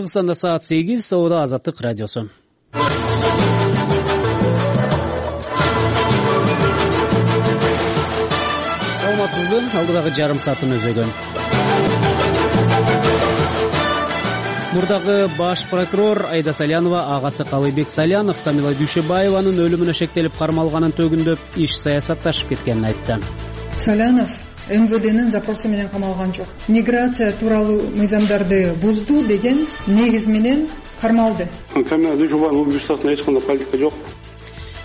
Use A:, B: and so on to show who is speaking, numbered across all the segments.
A: Кыргызстанда саат 8, Соода Азаттык радиосу. Саламатсызбы? Алдыдагы жарым саатын өзөгөн. Мурдагы баш прокурор Айда Салянова агасы Калыбек Салянов Тамила Дүйшөбаеванын өлүмүнө шектелип кармалганын төгүндөп иш саясатташып кеткенин айтты.
B: Салянов МВДнын запросу менен камалган жок. Миграция тууралуу мыйзамдарды бузду деген негиз менен кармалды.
C: Тамила Дүйшөбаеванын убийствосуна эч кандай политика жок.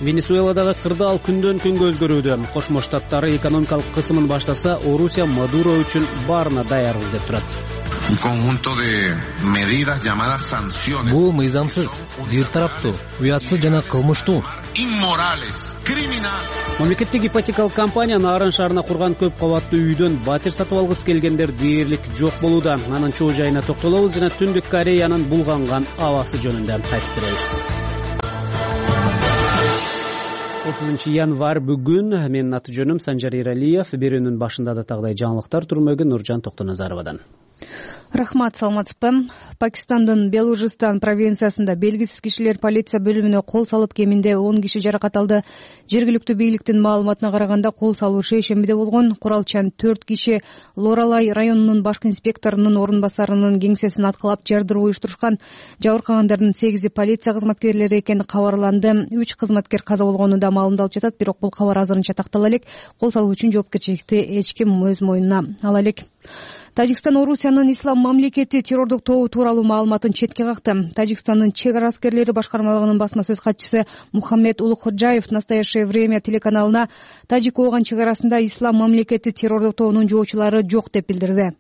A: Венесуэладагы кырдаал күндөн күнгө өзгөрүүдө. Кошмо Штаттары экономикалык кысымын баштаса, Орусия Мадуро үчүн баарына даярбыз деп турат.
D: Бул мыйзамсыз, бир тараптуу, уятсыз жана кылмыштуу.
A: Мамлекеттик ипотекалык компания Нарын шаарына курган көп кабаттуу үйдөн батир сатып алгысы келгендер дээрлик жок болууда. Анын чоо жайына токтолобуз жана Түндүк Кореянын булганган абасы жөнүндө айтып беребиз. 30 январь бүгүн. Менин аты жөнүм Санжар Иралиев. Берүүнүн башында да тагдай жаңылыктар турмөгүн Нуржан Токтоназаровадан.
E: Рахмат, саламатсызбы. Пакистандын Белужистан провинциясында белгисиз кишилер полиция бөлүмүнө кол салып, кеминде 10 киши жаракат алды. Жергиликтүү бийликтин маалыматына караганда, кол салуу шейшембиде болгон. Куралчан 4 киши Лоралай районунун башкы инспекторунун орун басарынын кеңсесин аткылап жардыруу уюштурушкан. Жабыркагандардын 8 полиция кызматкерлери экени кабарланды. 3 кызматкер каза болгону да маалымдалып жатат, бирок бул кабар азырынча тактала элек. Кол салуу үчүн жоопкерчиликти эч ким өз мойнуна ала элек. Тажикстан Орусиянын Ислам мамлекети террордук тобу тууралуу маалыматын четке какты. Тажикстандын чек ара аскерлери башкармалыгынын басма сөз катчысы Мухаммед Улукходжаев «Настоящее время» телеканалына Тажик-Ооган чек арасында Ислам мамлекети террордук тобунун жоочулары жок деп билдирди.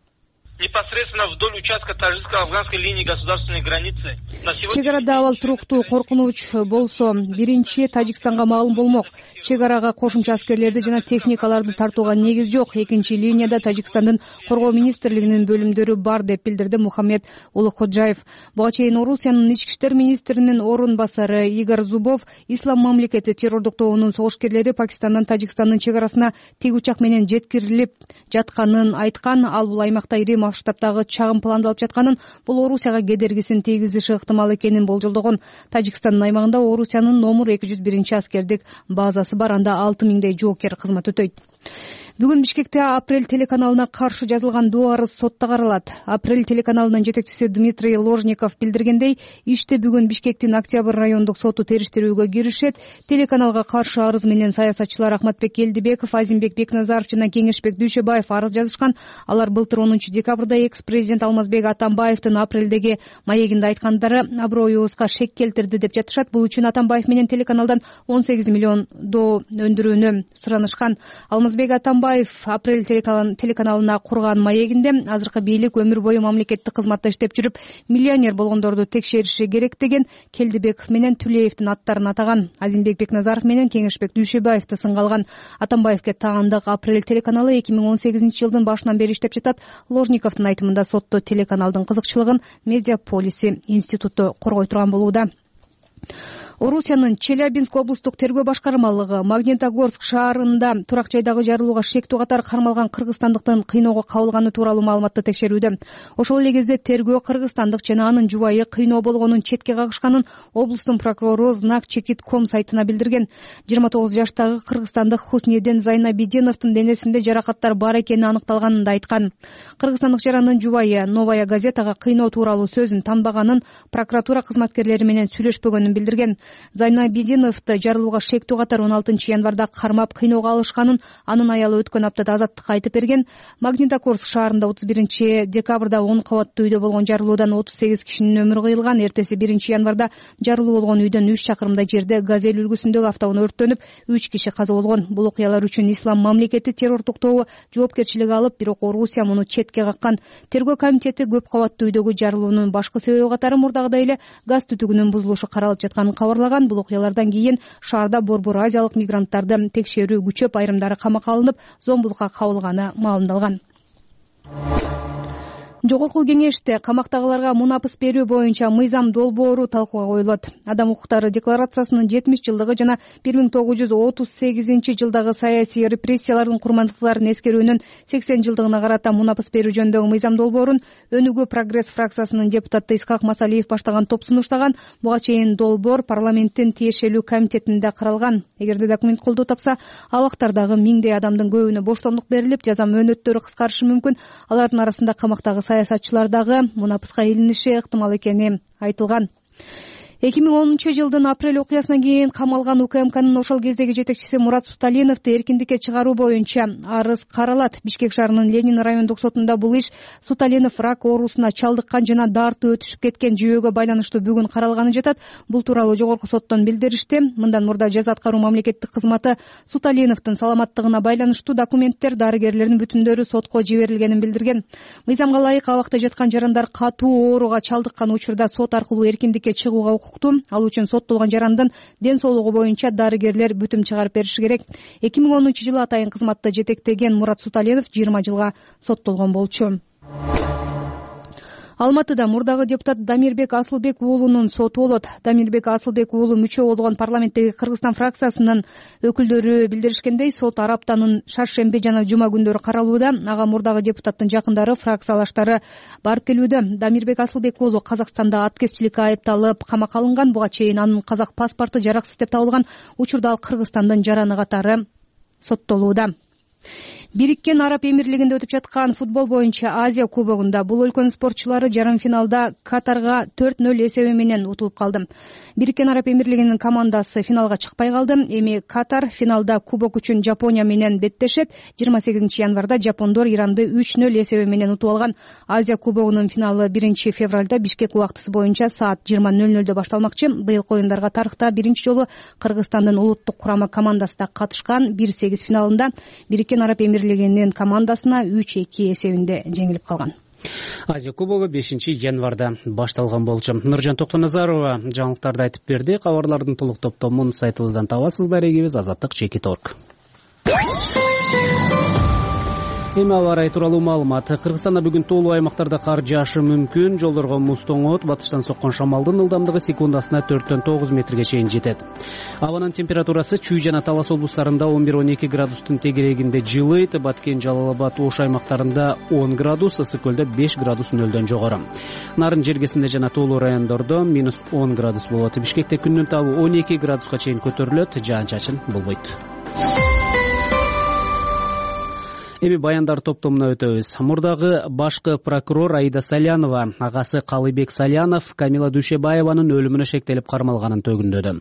F: Непосредственно вдоль участка таджикско-афганской линии государственной границы.
E: Чек арада абал туруктуу коркунуч болсо, биринчи Тажикстанга маалым болмок. Чек арага кошумча аскерлерди жана техникаларды тартууга негиз жок. Экинчи линияда Тажикстандын коргоо министрлигинин бөлүмдөрү бар деп билдирди Мухаммед Улукходжаев. Буга чейин Орусиянын ички иштер министринин орун басары Игорь Зубов Ислам мамлекети террордук тобунун согушкерлери Пакистандан Тажикстандын чек арасына тик учак менен жеткирилип жатканын айткан. Ал бул аймакта ири масштабтагы чагым пландалып жатканын, бул Орусияга кедергисин тийгизиши ыктымал экенин болжолдогон. Тажикстандын аймагында Орусиянын номер 201 аскердик базасы бар, анда 6000дей жоокер кызмат өтөйт. Бүгүн Бишкекте Апрель телеканалына каршы жазылган доо арыз сотто каралат. Апрель телеканалынын жетекчиси Дмитрий Ложников билдиргендей, иште бүгүн Бишкектин Октябрь райондук соту териштирүүгө киришет. Телеканалга каршы арыз менен саясатчылар Ахматбек Келдибеков, Азимбек Бекназаров жана Кеңешбек Дүйшөбаев арыз жазышкан. Алар былтыр 10 декабрда экс-президент Алмазбек Атамбаевдин апрелдеги маегинде айткандары аброюбузга шек келтирди деп жатышат. Бул үчүн Атамбаев менен телеканалдан 18 миллион доо өндүрүүнү суранышкан. Алмазбек Атамбаев Апрель телеканалына курган маегинде азыркы бийлик өмүр бою мамлекеттик кызматта иштеп жүрүп, миллионер болгондорду текшериши керек деген Келдибеков менен Түлеевдин аттарын атаган. Азимбек Бекназаров менен Кеңешбек Дүйшөбаевди сынга алган. Атамбаевге таандык Апрель телеканалы 2018 жылдын башынан бери иштеп жатат. Ложниковдун айтымында сотто телеканалдын кызыкчылыгын Медиаполиси институту коргой турган болууда. Орусиянын Челябинск облустук тергөө башкармалыгы Магнитогорск шаарында турак жайдагы жарылууга шектүү катар кармалган кыргызстандыктын кыйноого кабылганы тууралуу маалыматты текшерүүдө. Ошол эле кезде тергөө кыргызстандык жана анын жубайы кыйноо болгонун четке кагышканын облустун прокурору Знак Чекит.com сайтына билдирген. 29 жаштагы кыргызстандык Хуснеден Зайнабиденовдун денесинде жаракаттар бар экени аныкталганын да айткан. Кыргызстандык жарандын жубайы Новая газетага кыйноо тууралуу сөзүн танбаганын, прокуратура кызматкерлери менен сүйлөшпөгөнүн билдирген. Зайнабиденовду жарылууга шектүү катар 16 январда кармап кыйноого алышканын, анын аялы өткөн аптада азаттыкка айтып берген. Магнитогорск шаарында 31 декабрда 10 кабаттуу үйдө болгон жарылуудан 38 кишинин өмүрү кыйылган. Эртеси 1 январда жарылуу болгон үйдөн 3 чакырымдай жерде Газель үлгүсүндөгү автоунаа өрттөнүп, 3 киши каза болгон. Бул окуялар үчүн Ислам мамлекети террордук тобу жоопкерчилик алып, бирок Орусия муну четке каккан. Тергөө комитети көп кабаттуу үйдөгү жарылуунун башкы себеби катары мурдагыдай эле газ түтүгүнүн бузулушу каралып жатканын кабарлаган. Бул окуялардан кийин шаарда борбор азиялык мигранттарды текшерүү күчөп, айрымдары камакка алынып, зомбулукка кабылганы маалымдалган. Жогорку кеңеште камактагыларга мунапыс берүү боюнча мыйзам долбоору талкууга коюлат. Адам укуктары декларациясынын 70 жылдыгы жана 1938 жылдагы саясий репрессиялардын курмандыктарын эскерүүнүн 80 жылдыгына карата мунапыс берүү жөнүндөгү мыйзам долбоорун Өнүгүү Прогресс фракциясынын депутаты Исхак Масалиев баштаган топ сунуштаган. Буга чейин долбоор парламенттин тиешелүү комитетинде каралган. Эгерде документ колдоо тапса, абактардагы миңдей адамдын көбүнө боштондук берилип, жаза мөөнөттөрү кыскарышы мүмкүн. Алардын арасында камактагы саясатчылар дагы мунапыска илиниши ыктымал экени айтылган. 2010 жылдын апрель окуясынан кийин камалган УКМКнын ошол кездеги жетекчиси Мурат Суталиновду эркиндикке чыгаруу боюнча арыз каралат. Бишкек шаарынын Ленин райондук сотунда бул иш Суталинов рак оорусуна чалдыккан жана дартуу өтүшүп кеткен жүйөгө байланыштуу бүгүн каралганы жатат. Бул тууралуу жогорку соттон билдиришти. Мындан мурда жаза аткаруу мамлекеттик кызматы Суталиновдун саламаттыгына байланыштуу документтер, дарыгерлердин бүтүндөрү сотко жиберилгенин билдирген. Мыйзамга ылайык абакта жаткан жарандар катуу ооруга чалдыккан учурда сот аркылуу эркиндикке чыгууга ал үчүн соттолгон жарандын ден соолугу боюнча дарыгерлер бүтүм чыгарып бериши керек. 2010 жылы атайын кызматты жетектеген Мурат Суталинов 20 жылга соттолгон болчу. Алматыда мурдагы депутат Дамирбек Асылбек уулунун соту болот. Дамирбек Асылбек уулу мүчө болгон парламенттеги Кыргызстан фракциясынын өкүлдөрү билдиришкендей, сот араптанын шаршемби жана жума күндөрү каралууда. Ага мурдагы депутаттын жакындары, фракциялаштары барып келүүдө. Дамирбек Асылбек уулу Казакстанда аткезчиликке айыпталып камакка алынган. Буга чейин анын казак паспорту жараксыз деп табылган. Учурда ал Кыргызстандын жараны катары соттолууда. Бириккен Араб Эмирлигинде өтүп жаткан футбол боюнча Азия кубогунда бул өлкөнүн спортчулары жарым финалда Катарга 4-0 эсеби менен утулуп калды. Бириккен Араб Эмирлигинин командасы финалга чыкпай калды. Эми Катар финалда кубок үчүн Жапония менен беттешет. 28 январда жапондор Иранды 3-0 эсеби менен утуп алган. Азия кубогунун финалы 1 февралда Бишкек убактысы боюнча саат 20:00 башталмакчы. Быйылкы оюндарга тарыхта биринчи жолу Кыргызстандын улуттук курама командасы да катышкан. 1-8 финалында Бириккен Араб Эмирлигинин командасына 3-2 эсебинде жеңилип калган.
A: Азия кубогу 5 январда башталган болчу. Нуржан Токтоназарова жаңылыктарды айтып берди. Кабарлардын толук топтомун сайтыбыздан табасыздар. Эгибиз azаттык.org. Эми аба ырайы тууралуу маалымат. Кыргызстанда бүгүн тоолуу аймактарда кар жаашы мүмкүн. Жолдорго муз тоңот, батыштан соккон шамалдын ылдамдыгы секундасына 4-9 метрге чейин жетет. Абанын температурасы Чүй жана Талас облустарында 11-12 градустун тегерегинде жылыйт. Баткен, Жалал Абад, Ош аймактарында 10 градус, Ысык көлдө 5 градус нөлдөн жогору. Нарын жергесинде жана тоолуу райондордо -10 градус болот. Бишкекте күндүн табы 12 градуска чейин көтөрүлөт, жаан-чачын болбойт. Эми баяндар топтомуна өтөбүз. Мурдагы башкы прокурор Аида Салянова агасы Калыбек Салянов Камила Дүйшөбаеванын өлүмүнө шектелип кармалганын төгүндөдү.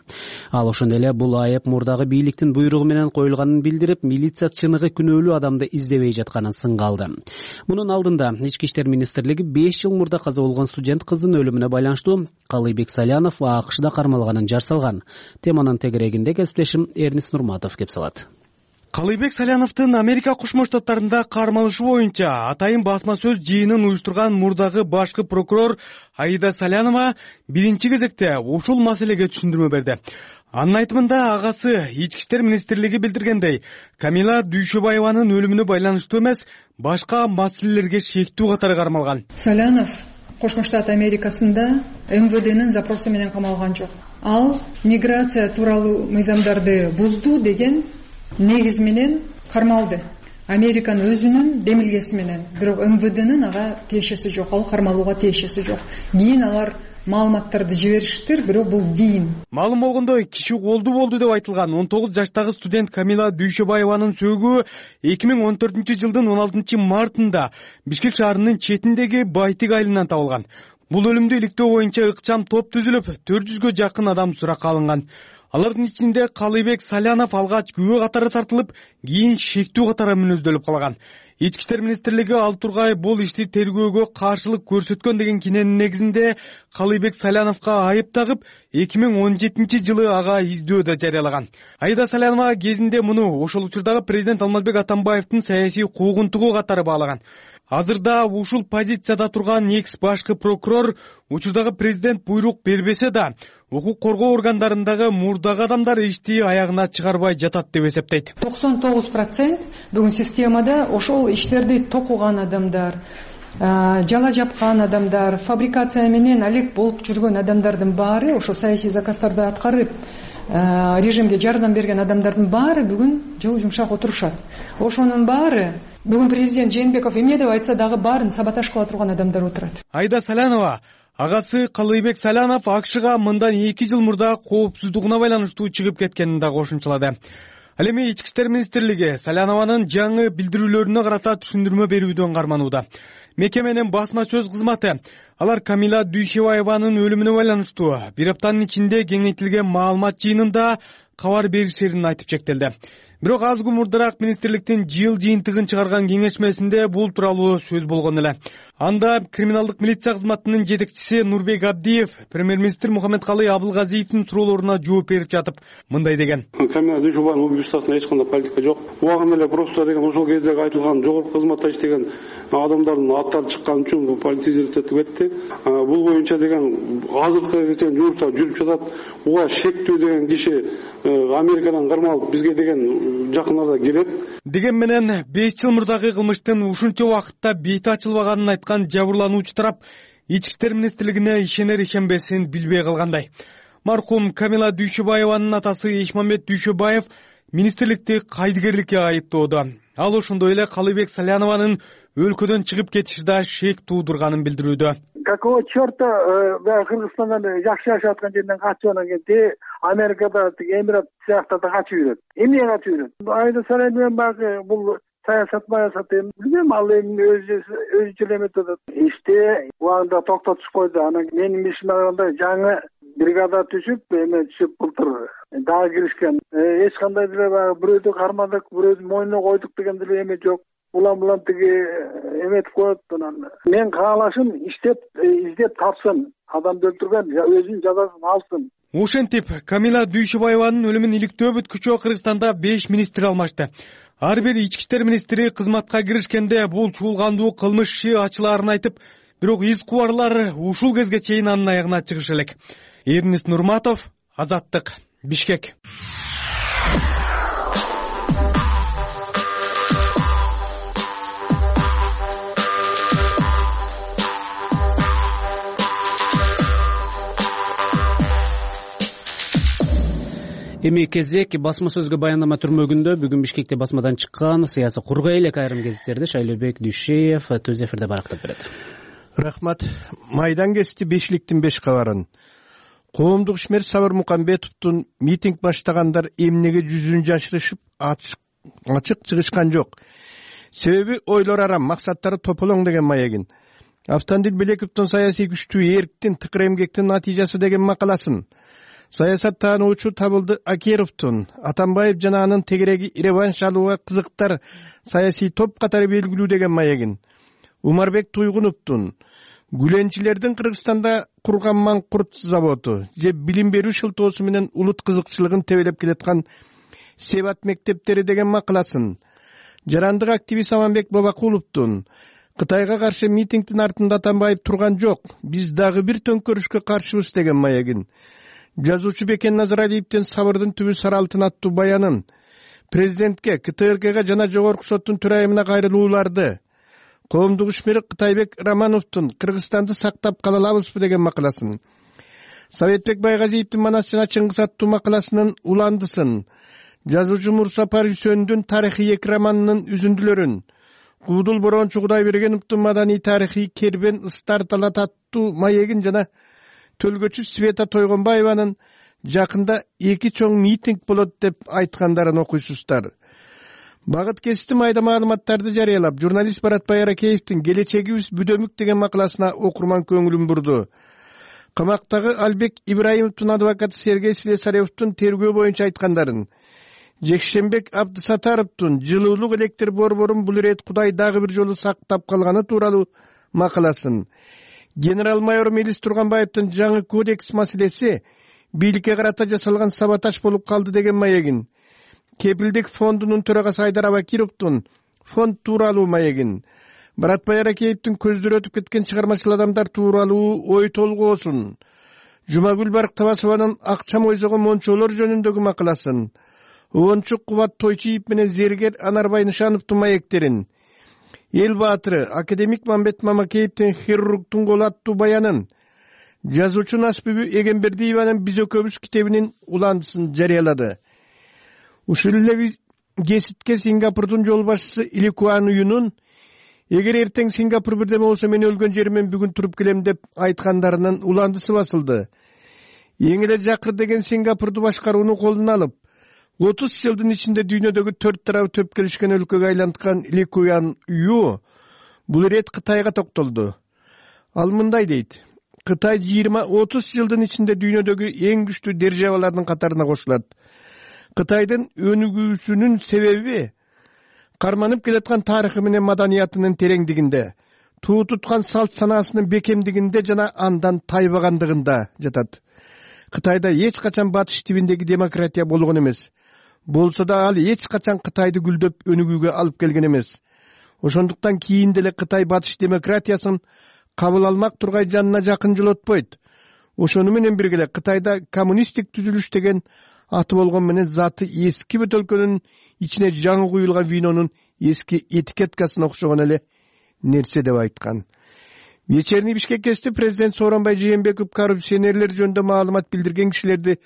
A: Ал ошондой эле бул айып мурдагы бийликтин буйругу менен коюлганын билдирип, милиция чыныгы күнөөлүү адамды издебей жатканын сынга алды. Мунун алдында Ички иштер министрлиги 5 жыл мурда каза болгон студент кыздын өлүмүнө байланыштуу Калыбек Салянов АКШда кармалганын жар салган. Теманын тегерегинде кесиптешим Эрнис Нурматов кеп салат.
G: Калыбек Саляновдун Америка Кошмо Штаттарында кармалышы боюнча атайын басма сөз жыйынын уюштурган мурдагы башкы прокурор Аида Салянова биринчи кезекте ушул маселеге түшүндүрмө берди. Анын айтымында агасы Ички иштер министрлиги билдиргендей, Камила Дүйшөбаеванын өлүмүнө байланыштуу эмес, башка маселелерге шектүү катары кармалган.
B: Салянов Кошмо Штат Америкасында МВДнын запросу менен камалган жок. Ал миграция тууралуу мыйзамдарды бузду деген негиз менен кармалды. Американын өзүнүн демилгеси менен. Бирок МВДнын ага тиешеси жок, ал кармалууга тиешеси жок. Кийин алар маалыматтарды жибериштир, бирок бул кийин.
G: Маалым болгондой, киши колду болду деп айтылган 19 жаштагы студент Камила Дүйшөбаеванын сөөгү 2014 жылдын 16 мартында Бишкек шаарынын четиндеги Байтик айылынан табылган. Бул өлүмдү иликтөө боюнча ыкчам топ түзүлүп, 400гө жакын адам суракка алынган. Алардын ичинде Калыбек Салянов алгач күбө катары тартылып, кийин шектүү катары мүнөздөлүп калган. Ички иштер министрлиги ал тургай бул ишти тергөөгө каршылык көрсөткөн деген киненин негизинде Калыбек Саляновго айып тагып, 2017 жылы ага издөө да жарыялаган. Аида Салянова кезинде муну ошол учурдагы президент Алмазбек Атамбаевдин саясий куугунтугу катары баалаган. Азырда ушул позицияда турган экс башкы прокурор учурдагы президент буйрук бербесе да, укук коргоо органдарындагы мурдагы адамдар ишти аягына чыгарбай жатат деп эсептейт.
B: 99% бүгүн системада ошол иштерди токуган адамдар, жала жапкан адамдар, фабрикация менен алек болуп жүргөн адамдардын баары, ошо саясий заказдарды аткарып режимге жардам берген адамдардын баары бүгүн жылы жумшак отурушат. Ошонун баары бүгүн президент Жээнбеков эмне деп айтса дагы баарын саботаж кыла турган адамдар отурат.
G: Айда Салянова агасы Калыйбек Салянов АКШга мындан 2 жыл мурда коопсуздугуна байланыштуу чыгып кеткенин да кошумчалады. Ал эми Ички иштер министрлиги Салянованын жаңы билдирүүлөрүнө карата түшүндүрмө берүүдөн карманууда. Мекеменин басма сөз кызматы алар Камила Дүйшөбаеванын өлүмүнө байланыштуу бир аптанын ичинде кеңейтилген маалымат жыйынында кабар беришерин айтып чектелди. Бирок аз күн мурдараак министрликтин жыл жыйынтыгын чыгарган кеңешмесинде бул тууралуу сөз болгон эле. Анда криминалдык милиция кызматынын жетекчиси Нурбек Абдиев премьер-министр Мухаммедкалый Абылгазиевдин суроолоруна жооп берип жатып мындай деген:
C: Камила Дүйшөбаеванын убийствосуна эч кандай политика жок. Убагында эле просто деген ошол кездеги айтылган жогорку кызматта иштеген адамдардын аттары чыккан үчүн бул политизировать этип кетти. Бул боюнча деген азыркы чейин жумуштар жүрүп жатат. Буга шектүү деген киши Америкадан кармалып бизге деген жакын арада келет
G: деген менен 5 жыл мурдагы кылмыштын ушунча убакытта бети ачылбаганын айткан жабырлануучу тарап Ички иштер министрлигине ишенер-ишенбесин билбей калгандай. Маркум Камила Дүйшөбаеванын атасы Эшмамбет Дүйшөбаев министрликти кайдыгерликке айыптоодо. Ал ошондой эле Калыйбек Салянованын өлкөдөн чыгып кетиши да шек туудурганын билдирүүдө.
H: Какого черта Кыргызстандан жакшы жашап аткан жерден качып анан келди, Америкада Эмират сыяктарда качып жүрөт. Эмне качып жүрөт? Айда Салянов багы бул саясат билбейм, ал эми өзүнчө эметип атат. Иште убагында токтотуп койду. Анан менин ишиме караганда жаңы бригада түшүп, эме түшүп былтыр дагы киришкен. Эч кандай деле бирөөдү кармадык, бирөөдү мойнуна койдук деген деле эме жок. Улам тиги эметип коет. Мен каалашым издеп тапсын, адамды өлтүргөн өзүнүн жазасын алсын.
G: Ошентип Камила Дүйшөбаеванын өлүмүн иликтөө бүткүчө Кыргызстанда 5 министр алмашты. Ар бир ички иштер министри кызматка киришкенде бул чуулгандуу кылмыш иши ачылаарын айтып, бирок из кубарлар ушул кезге чейин анын аягына чыгышы элек. Эрнис Нурматов, Азаттык, Бишкек.
A: Эми кезек басма сөзгө баяндама түрмөгүндө бүгүн Бишкекте басмадан чыккан саясий кургай элек айрым гезиттерди Шайлообек Дүйшеев төз эфирде барактап берет.
I: Рахмат. Майдан кести бешиликтин 5 кабарын. Коомдук ишмер Сабыр Мукамбетовдун митинг баштагандар эмнеге жүзүн жашырышып ачык чыгышкан жок. Себеби ойлор арам, максаттары тополоң деген маегин. Автандил Белековдун саясий күчтүү эрктин тыкыр эмгектин натыйжасы деген макаласын. Саясат таануучу Табылды Акеровдун Атамбаев жана анын тегереги реванш алууга кызыктар саясий топ катары белгилүү деген маегин. Умарбек Туйгуновдун Гүленчилердин Кыргызстанда курган Маңкурт заводу же билим берүү шылтоосу менен улут кызыкчылыгын тебелеп келаткан Себат мектептери деген макаласын. Жарандык активист Аманбек Бабакуловдун Кытайга каршы митингдин артында Атамбаев турган жок, биз дагы бир төңкөрүшкө каршыбыз деген маегин. Жазуучу Бекен Назаралиевдин Сабырдын түбү саралтын аттуу баянын. Президентке, КТРКга жана жогорку соттун төрайымына кайрылууларды. Коомдук ишмер Кытайбек Романовдун Кыргызстанды сактап кала алабызбы деген макаласын. Советбек Байгазиевдин Манас жана Чыңгыз аттуу макаласынын уландысын. Жазуучу Мурсапар Үсөндүн тарыхый 2 романынын үзүндүлөрүн. Куудул Борончу Кудайбергеновдун маданий тарыхый Кербен Ыстар талат аттуу маегин жана Төлгөчү Света Тойгонбаеванын жакында 2 чоң митинг болот деп айткандарын окуйсуздар. Багыт кести майда маалыматтарды жарыялап, журналист Баратбай Аракеевдин Келечегибиз бүдөмүк деген макаласына окурман көңүлүн бурду. Камактагы Албек Ибраимовдун адвокаты Сергей Слесаревдун тергөө боюнча айткандарын, Жекшембек Абдысатаровдун жылуулук электр борборун бул ирет Кудай дагы бир жолу сактап калганы тууралуу макаласын, генерал-майор Мелис Турганбаевдин жаңы кодекс маселеси бийликке карата жасалган саботаж болуп калды деген маегин, Кепилдик фондунун төрагасы Айдар Абакировдун фонд тууралуу маегин, Баратбай Аракеевдин көздөр өтүп кеткен чыгармачыл адамдар тууралуу ой толгоосун, Жумагүл Барктабасованын акча мойзогон мончолор жөнүндөгү макаласын, Оончук Кубат Тойчиев менен зергер Анарбай Нышановдун маектерин, эл баатыры академик Мамбет Мамакеевдин хирургтун колу аттуу баянын, жазуучу Насбүбү Эгембердиеванын «Биз экөөбүз» китебинин уландысын жарыялады. Ушул эле кеситке Сингапурдун жол башчысы Ли Куан Юнун эгер эртең Сингапур бирдеме болсо мен өлгөн жеримен бүгүн туруп келем деп айткандарынын уландысы басылды. Эң эле жакыр деген Сингапурду башкарууну колуна алып, 30 жылдын ичинде дүйнөдөгү 4 тарабы төп келишкен өлкөгө айланткан Ли Куан Ю бул ирет Кытайга токтолду. Ал мындай дейт: Кытай 20-30 жылдын ичинде дүйнөдөгү эң күчтүү державалардын катарына кошулат. Кытайдын өнүгүүсүнүн себеби карманып келаткан тарыхы менен маданиятынын тереңдигинде, туу туткан салт санаасынын бекемдигинде жана андан тайбагандыгында жатат. Кытайда эч качан батыш тибиндеги демократия болгон эмес. Болсо да ал эч качан Кытайды гүлдөп өнүгүүгө алып келген эмес. Ошондуктан кийин деле Кытай батыш демократиясын кабыл алмак тургай жанына жакын жолотпойт. Ошону менен бирге эле Кытайда коммунисттик түзүлүш деген аты болгон менен заты эски бөтөлкөнүн ичине жаңы куюлган винонун эски этикеткасына окшогон эле нерсе деп айткан. Вечерний Бишкекте президент Сооронбай Жээнбеков коррупционерлер жөнүндө маалымат билдирген кишилерди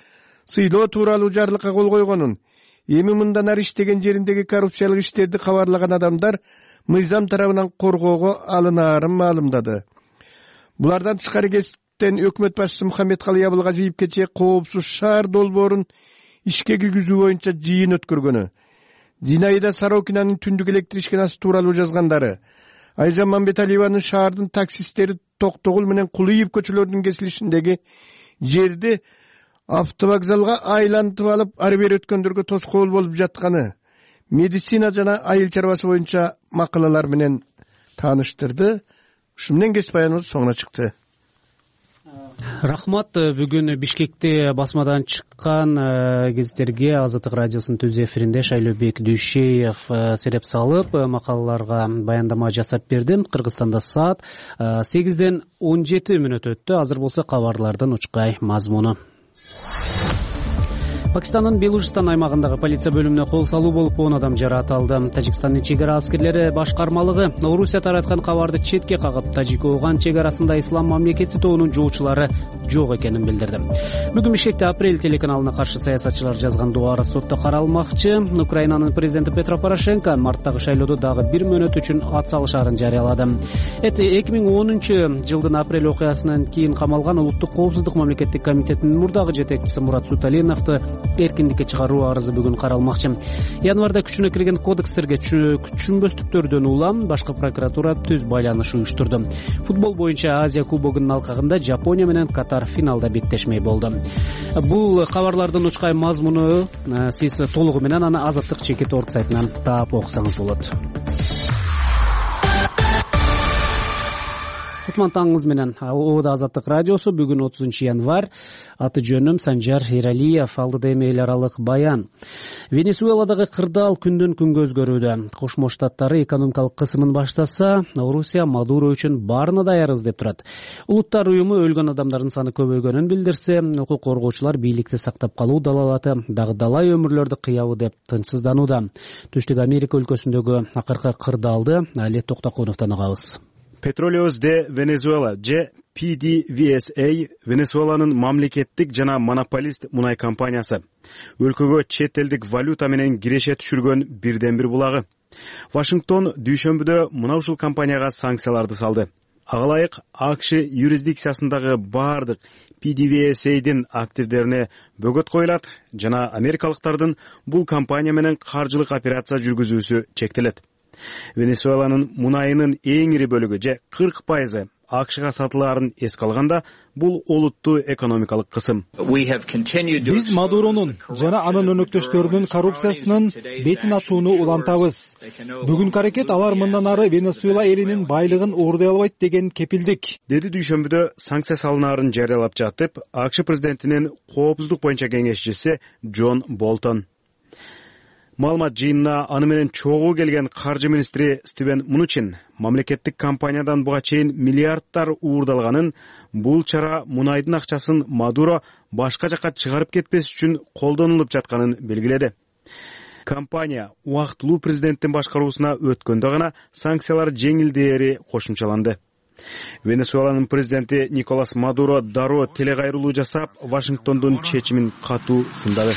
I: сыйлоо тууралуу жарлыкка кол койгонун, эми мындан ары иштеген жериндеги коррупциялык иштерди кабарлаган адамдар мыйзам тарабынан коргоого алынаарын маалымдады. Булардан тышкары кесиптен өкмөт башчысы Мухаммедкалый Абылгазиев кечээ коопсуз шаар долбоорун ишке киргизүү боюнча жыйын өткөргөнү, Зинаида Сорокинанын түндүк электр ишканасы тууралуу жазгандары, Айжан Мамбеталиеванын шаардын таксисттери Токтогул менен Кулуев көчөлөрүнүн кесилишиндеги жерди автовокзалга айлантып алып, ары бери өткөндөргө тоскоол болуп жатканы, медицина жана айыл чарбасы боюнча макалалар менен тааныштырды. Ушу менен кесип баяныбыз соңуна чыкты.
A: Рахмат. Бүгүн Бишкекте басмадан чыккан гезиттерге Азаттык радиосунун түз эфиринде Шайлообек Дүйшеев сереп салып, макалаларга баяндама жасап берди. Кыргызстанда саат 8-ден 17 мүнөт өттү. Азыр болсо кабарлардын учкай мазмуну. Пакистандын Белужистан аймагындагы полиция бөлүмүнө кол салуу болуп 10 адам жаратылды. Тажикстандын чегара аскерлери башкармалыгы Орусия тараткан кабарды четке кагып, Тажик-Ооган чегарасында Ислам мамлекети тобунун жоочулары жок экенин билдирди. Бүгүн Бишкекте Апрель телеканалына каршы саясатчылар жазган дуары сотто каралмакчы. Украинанын президенти Петро Порошенко марттагы шайлоодо дагы 1 мөөнөт үчүн ат салышаарын жарыялады. 2010 жылдын апрель окуясынан кийин камалган Улуттук коопсуздук мамлекеттик комитетинин мурдагы жетекчиси Мурат Суталиновду эркиндикке чыгаруу арызы бүгүн каралмакчы. Январда күчүнө кирген кодекстерге түшүнбөстүктөрдөн улам башкы прокуратура түз байланыш уюштурду. Футбол боюнча Азия кубогунун алкагында Жапония менен Катар финалда беттешмей болду. Бул кабарлардын учкай мазмуну сиз толугу менен аны Азаттык Чекит.org сайтынан таап окусаңыз болот. Кутман таңыңыз менен. Ода Азаттык радиосу бүгүн 30 январь. Аты жөнүм Санжар Эралиев. Алдыда эми эл аралык баян. Венесуэладагы кырдаал күндөн күнгө өзгөрүүдө. Кошмо Штаттары экономикалык кысымын баштаса, Орусия Мадуро үчүн баарына даярбыз деп турат. Улуттар уюму өлгөн адамдардын саны көбөйгөнүн билдирсе, укук коргоочулар бийликти сактап калуу далалаты дагы далай өмүрлөрдү кыябы деп тынчсызданууда. Түштүк Америка өлкөсүндөгү акыркы кырдаалды Алет Токтокуновдон угабыз.
J: Petroleos de Venezuela же PDVSA Венесуэланын мамлекеттик жана монополист мунай компаниясы. Өлкөгө чет элдик валюта менен киреше түшүргөн бирден бир булагы. Вашингтон дүйшөмбүдө мына ушул компанияга санкцияларды салды. Ага ылайык АКШ юрисдикциясындагы бардык PDVSA'дин активдерине бөгөт коюлат жана америкалыктардын бул компания менен каржылык операция жүргүзүүсү чектелет. Венесуэланын мунайынын эң ири бөлүгү же 40% АКШга сатылаарын эске алганда бул олуттуу экономикалык кысым.
K: Биз Мадуронун жана анын өнөктөштөрүнүн коррупциясынын бетин ачууну улантабыз. Бүгүнкү аракет алар мындан ары Венесуэла элинин байлыгын уурдай албайт деген кепилдик.
J: Деди дүйшөмбүдө санкция салынаарын жарыялап жатып, АКШ президентинин коопсуздук боюнча кеңешчиси Джон Болтон. Маалымат жыйынына аны менен чогуу келген каржы министри Стивен Мнучин мамлекеттик компаниядан буга чейин миллиардтар уурдалганын, бул чара мунайдын акчасын Мадуро башка жакка чыгарып кетпес үчүн колдонулуп жатканын белгиледи. Компания убактылуу президенттин башкаруусуна өткөндө гана санкциялар жеңилдээри кошумчаланды. Венесуэланын президенти Николас Мадуро дароо телекайрылуу жасап, Вашингтондун чечимин катуу сындады.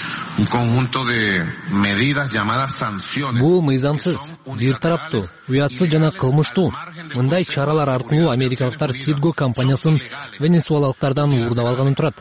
D: Бул мыйзамсыз, бир тараптуу, уятсыз жана кылмыштуу. Мындай чаралар аркылуу америкалыктар Citgo компаниясын венесуэлалыктардан уурдап алганын турат.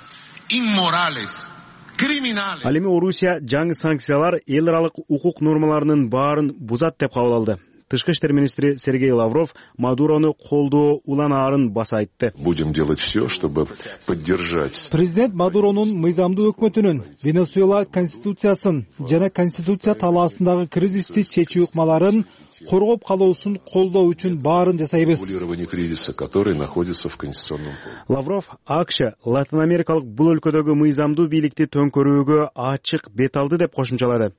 J: Ал эми Орусия жаңы санкциялар эл аралык укук нормаларынын баарын бузат деп кабыл алды. Тышкы иштер министри Сергей Лавров Мадурону колдоо уланаарын баса айтты.
L: Будем делать все, чтобы поддержать.
K: Президент Мадуронун мыйзамдуу өкмөтүнүн Венесуэла конституциясын жана конституция талаасындагы кризисти чечүү ыкмаларын коргоп калуусун колдоо үчүн баарын жасайбыз.
L: Кризиса, который находится в конституционном поле.
J: Лавров АКШ Латын Америкалык бул өлкөдөгү мыйзамдуу бийликти төңкөрүүгө ачык бет алды деп кошумчалады.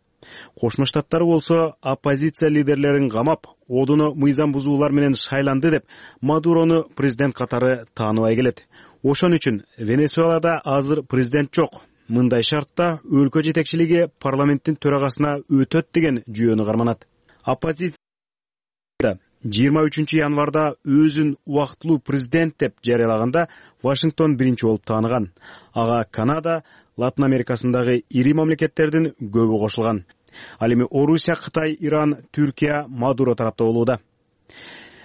J: Кошмо Штаттар болсо оппозиция лидерлерин камап, одуну мыйзам бузуулар менен шайланды деп Мадурону президент катары тааныбай келет. Ошон үчүн Венесуэлада азыр президент жок. Мындай шартта өлкө жетекчилиги парламенттин төрагасына өтөт деген жүйөнү карманат. Оппозиция 23 январда өзүн убактылуу президент деп жарыялаганда Вашингтон биринчи болуп тааныган. Ага Канада, Латын Америкасындагы ири мамлекеттердин көбү кошулган. Ал эми Орусия, Кытай, Иран, Түркия Мадуро тарапта болууда.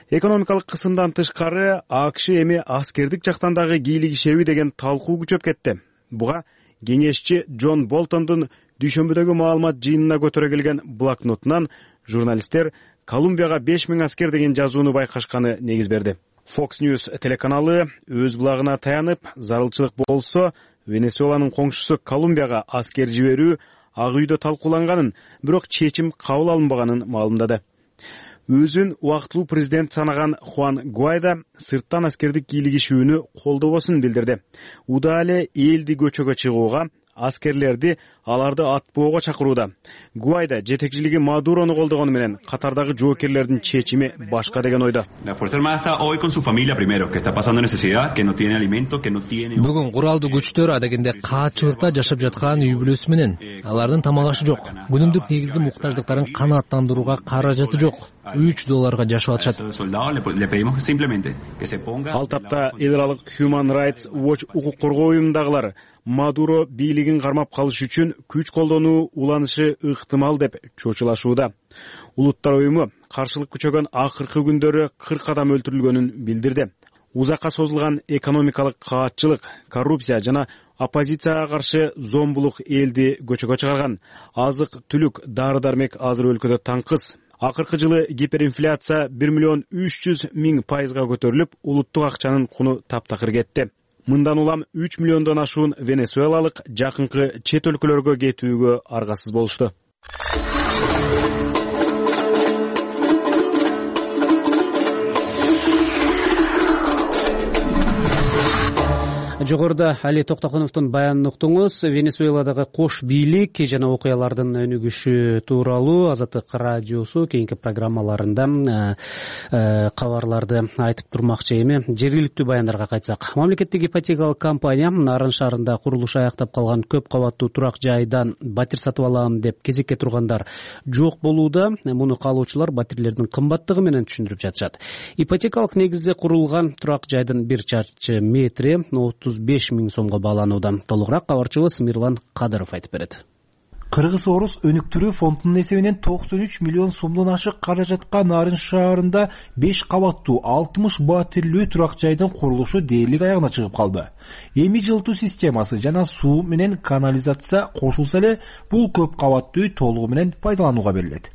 J: Экономикалык кысымдан тышкары АКШ эми аскердик жактан дагы кийлигишеби деген талкуу күчөп кетти. Буга кеңешчи Джон Болтондун дүйшөмбүдөгү маалымат жыйынына көтөрө келген блокнотунан журналисттер Колумбияга 5000 аскер деген жазууну байкашканы негиз берди. Fox News телеканалы өз булагына таянып, зарылчылык болсо Венесуэланын коңшусу Колумбияга аскер жиберүү Ак үйдө талкууланганын, бирок чечим кабыл алынбаганын маалымдады. Өзүн убактылуу президент санаган Хуан Гуайдо сырттан аскердик кийлигишүүнү колдобосун билдирди. Уда эле элди көчөгө чыгууга, аскерлерди аларды атпоого чакырууда. Гуайдо жетекчилиги Мадурону колдогону менен катардагы жоокерлердин чечими башка деген ойдо.
D: Бүгүн куралдуу күчтөр адегенде каачылыкта жашап жаткан үй бүлөсү менен. Алардын тамак ашы жок. Күнүмдүк негизги муктаждыктарын канааттандырууга каражаты жок. $3 жашап атышат.
J: Ал тапта эл аралык Human Rights Watch укук коргоо уюмундагылар Мадуро бийлигин кармап калыш үчүн күч колдонуу уланышы ыктымал деп чочулашууда. Улуттар уюму каршылык күчөгөн акыркы күндөрү 40 адам өлтүрүлгөнүн билдирди. Узакка созулган экономикалык каатчылык, коррупция жана оппозицияга каршы зомбулук элди көчөгө чыгарган. Азык-түлүк, дары-дармек азыр өлкөдө таңкыс. Акыркы жылы гиперинфляция 1,3 миллион көтөрүлүп, улуттук акчанын куну таптакыр кетти. Мындан улам 3 миллиондон ашуун венесуэлалык жакынкы чет өлкөлөргө кетүүгө аргасыз болушту.
A: Жогоруда Али Токтокуновдун баянын уктуңуз. Венесуэладагы кош бийлик жана окуялардын өнүгүшү тууралуу Азаттык радиосу кийинки программаларында кабарларды айтып турмакчы. Эми жергиликтүү баяндарга кайтсак, мамлекеттик ипотекалык компания Нарын шаарында курулушу аяктап калган көп кабаттуу турак жайдан батир сатып алам деп кезекке тургандар жок болууда. Муну каалоочулар батирлердин кымбаттыгы менен түшүндүрүп жатышат. Ипотекалык негизде курулган турак жайдын 1 чарчы метри 35 000 сомго бааланууда. Толугураак кабарчыбыз Мирлан Кадыров айтып берет.
M: Кыргыз-Орус өнүктүрүү фондунун эсебинен 93 миллион сомдон ашык каражатка Нарын шаарында 5 кабаттуу 60 батирлүү турак жайдын курулушу дээрлик аягына чыгып калды. Эми жылытуу системасы жана суу менен канализация кошулса эле бул көп кабаттуу үй толугу менен пайдаланууга берилет.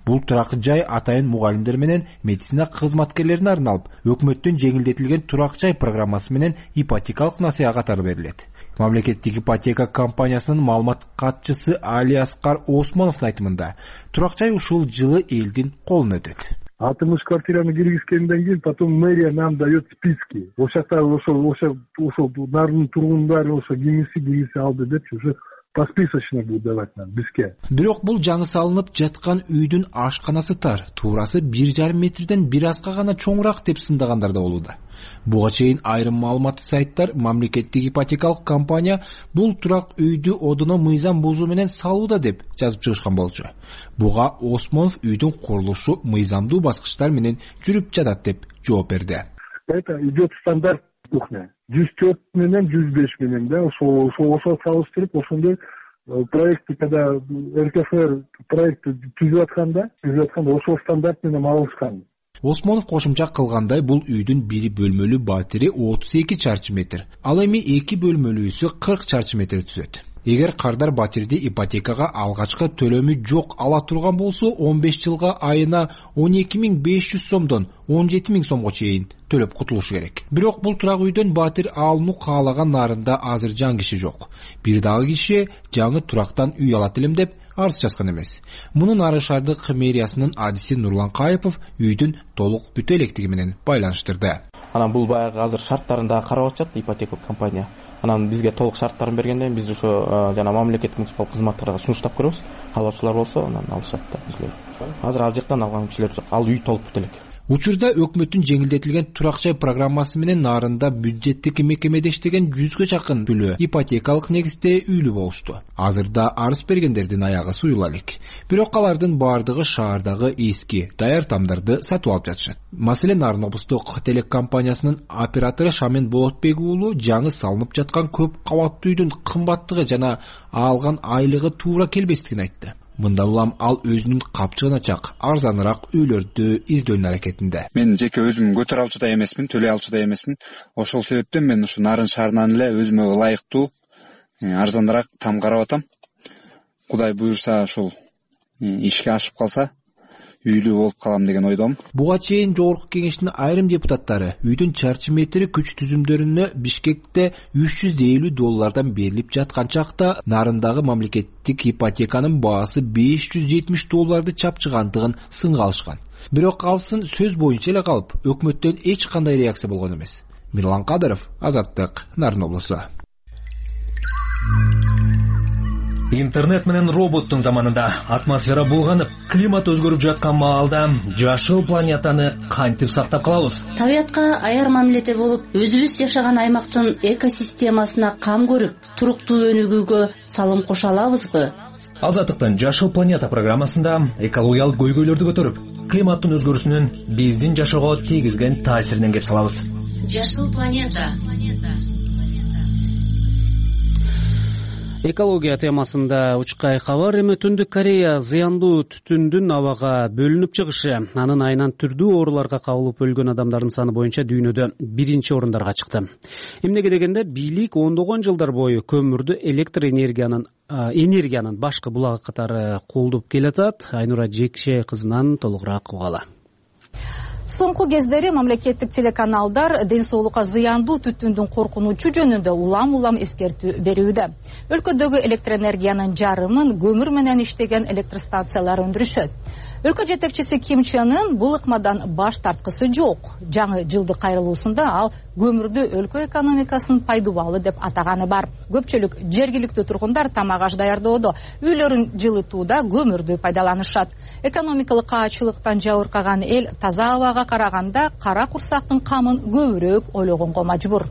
M: Бул турак жай атайын мугалимдер менен медицина кызматкерлерине арналып, өкмөттүн жеңилдетилген турак жай программасы менен ипотекалык насыя катары берилет. Мамлекеттик ипотека компаниясынын маалымат катчысы Али Аскар Осмоновдун айтымында, турак жай ушул жылы элдин колуна өтөт.
H: 60 квартираны киргизгенден кийин потом мэрия нам дает списки. Ошол Нарын тургундары ошо кимиси алды деп уже
N: посписочный будет давать нам бизге.
M: Бирок бул жаңы салынып жаткан үйдүн ашканасы тар, туурасы 1,5 метрден бир азга гана чоңураак деп сындагандар да болууда. Буга чейин айрым маалыматтык сайттар мамлекеттик ипотекалык компания бул турак үйдү одоно мыйзам бузуу менен салууда деп жазып чыгышкан болчу. Буга Осмонов үйдүн курулушу мыйзамдуу баскычтар менен жүрүп жатат деп жооп берди.
N: Это идет стандарт кухня. 104 менен 105 менен да ошо салыштырып ошондой проектти когда РКФР проектти түзүп атканда ошол стандарт менен алышкан.
M: Осмонов кошумча кылгандай бул үйдүн бири бөлмөлүү батири 32 чарчы метр, ал эми 2 бөлмөлүүсү 40 чарчы метр түзөт. Эгер кардар батирди ипотекага алгачкы төлөмү жок ала турган болсо 15 жылга айына 12.500 сомдон 17.000 сомго чейин төлөп кутулушу керек. Бирок бул турак үйдөн батир алууну каалаган нарында азыр жан киши жок. Бир дагы киши жаңы турактан үй алат элем деп арыз жазган эмес. Муну Нарын шаардык мэриясынын адиси Нурлан Кайыпов үйдүн толук бүтө электиги менен байланыштырды.
O: Анан бул баягы азыр шарттарында карап атышат ипотека компания. Анан бизге толук шарттарын бергенден биз ошо жана мамлекеттик муниципал кызматтарга сунуштап көрөбүз. Каалоочулар болсо анан алышат да бизге. Азыр ал жактан алган кишилер жок. Ал үй толук бүтө элек.
M: Учурда өкмөттүн жеңилдетилген турак жай программасы менен Нарында бюджеттик мекемеде иштеген 100гө жакын бүлө ипотекалык негизде үйлүү болушту. Азырда арыз бергендердин аягы суюла элек. Бирок алардын баардыгы шаардагы эски, даяр тамдарды сатып алып жатышат. Маселен, Нарын облустук телекомпаниясынын оператору Шамен Болотбек уулу жаңы салынып жаткан көп кабаттуу үйдүн кымбаттыгы жана алган айлыгы туура келбестигин айтты. Мындан улам ал өзүнүн капчыгына чак арзаныраак үйлөрдү издөөнүн аракетинде.
P: Мен жеке өзүм көтөрө алчу да эмесмин, төлөй алчу да эмесмин. Ошол себептен мен ушу Нарын шаарынан эле өзүмө ылайыктуу арзаныраак там карап атам. Кудай буюрса ошол ишке ашып калса үйлүү болуп калам деген ойдомун.
M: Буга чейин жогорку кеңештин айрым депутаттары үйдүн чарчы метри күч түзүмдөрүнө Бишкекте $350 берилип жаткан чакта Нарындагы мамлекеттик ипотеканын баасы $570 чапчыгандыгын сынга алышкан. Бирок алсын сөз боюнча эле калып, өкмөттөн эч кандай реакция болгон эмес. Мирлан Кадыров, Азаттык, Нарын облусу.
Q: Интернет менен роботтун заманында атмосфера булганып, климат өзгөрүп жаткан маалда жашыл планетаны кантип сактап калабыз?
R: Табиятка аяр мамиледе болуп, өзүбүз жашаган аймактын экосистемасына кам көрүп, туруктуу өнүгүүгө салым кошо алабызбы?
Q: Азаттыктын жашыл планета программасында экологиялык көйгөйлөрдү көтөрүп, климаттын өзгөрүүсүнүн биздин жашоого тийгизген таасиринен кеп салабыз.
R: Жашыл планета.
A: Экология темасында учкай кабар. Эми Түндүк Корея зыяндуу түтүндүн абага бөлүнүп чыгышы, анын айынан түрдүү ооруларга кабылып өлгөн адамдардын саны боюнча дүйнөдө 1-орундарга чыкты. Эмнеге дегенде, бийлик ондогон жылдар бою көмүрдү электр энергиянын башкы булагы катары колдоп келатат. Айнура Жекше кызынан толугураак угалы.
S: Соңку кездери мамлекеттик телеканалдар ден соолукка зыяндуу түтүндүн коркунучу жөнүндө улам эскертүү берүүдө. Өлкөдөгү электр энергиянын жарымын көмүр менен иштеген электр станциялары өндүрүшөт. Өлкө жетекчиси Ким Чен Ын бул ыкмадан баш тарткысы жок. Жаңы жылдык кайрылуусунда ал көмүрдү өлкө экономикасынын пайдубалы деп атаганы бар. Көпчүлүк жергиликтүү тургундар тамак аш даярдоодо, үйлөрүн жылытууда көмүрдү пайдаланышат. Экономикалык каачылыктан жабыркаган эл таза абага караганда кара курсактын камын көбүрөөк ойлогонго мажбур.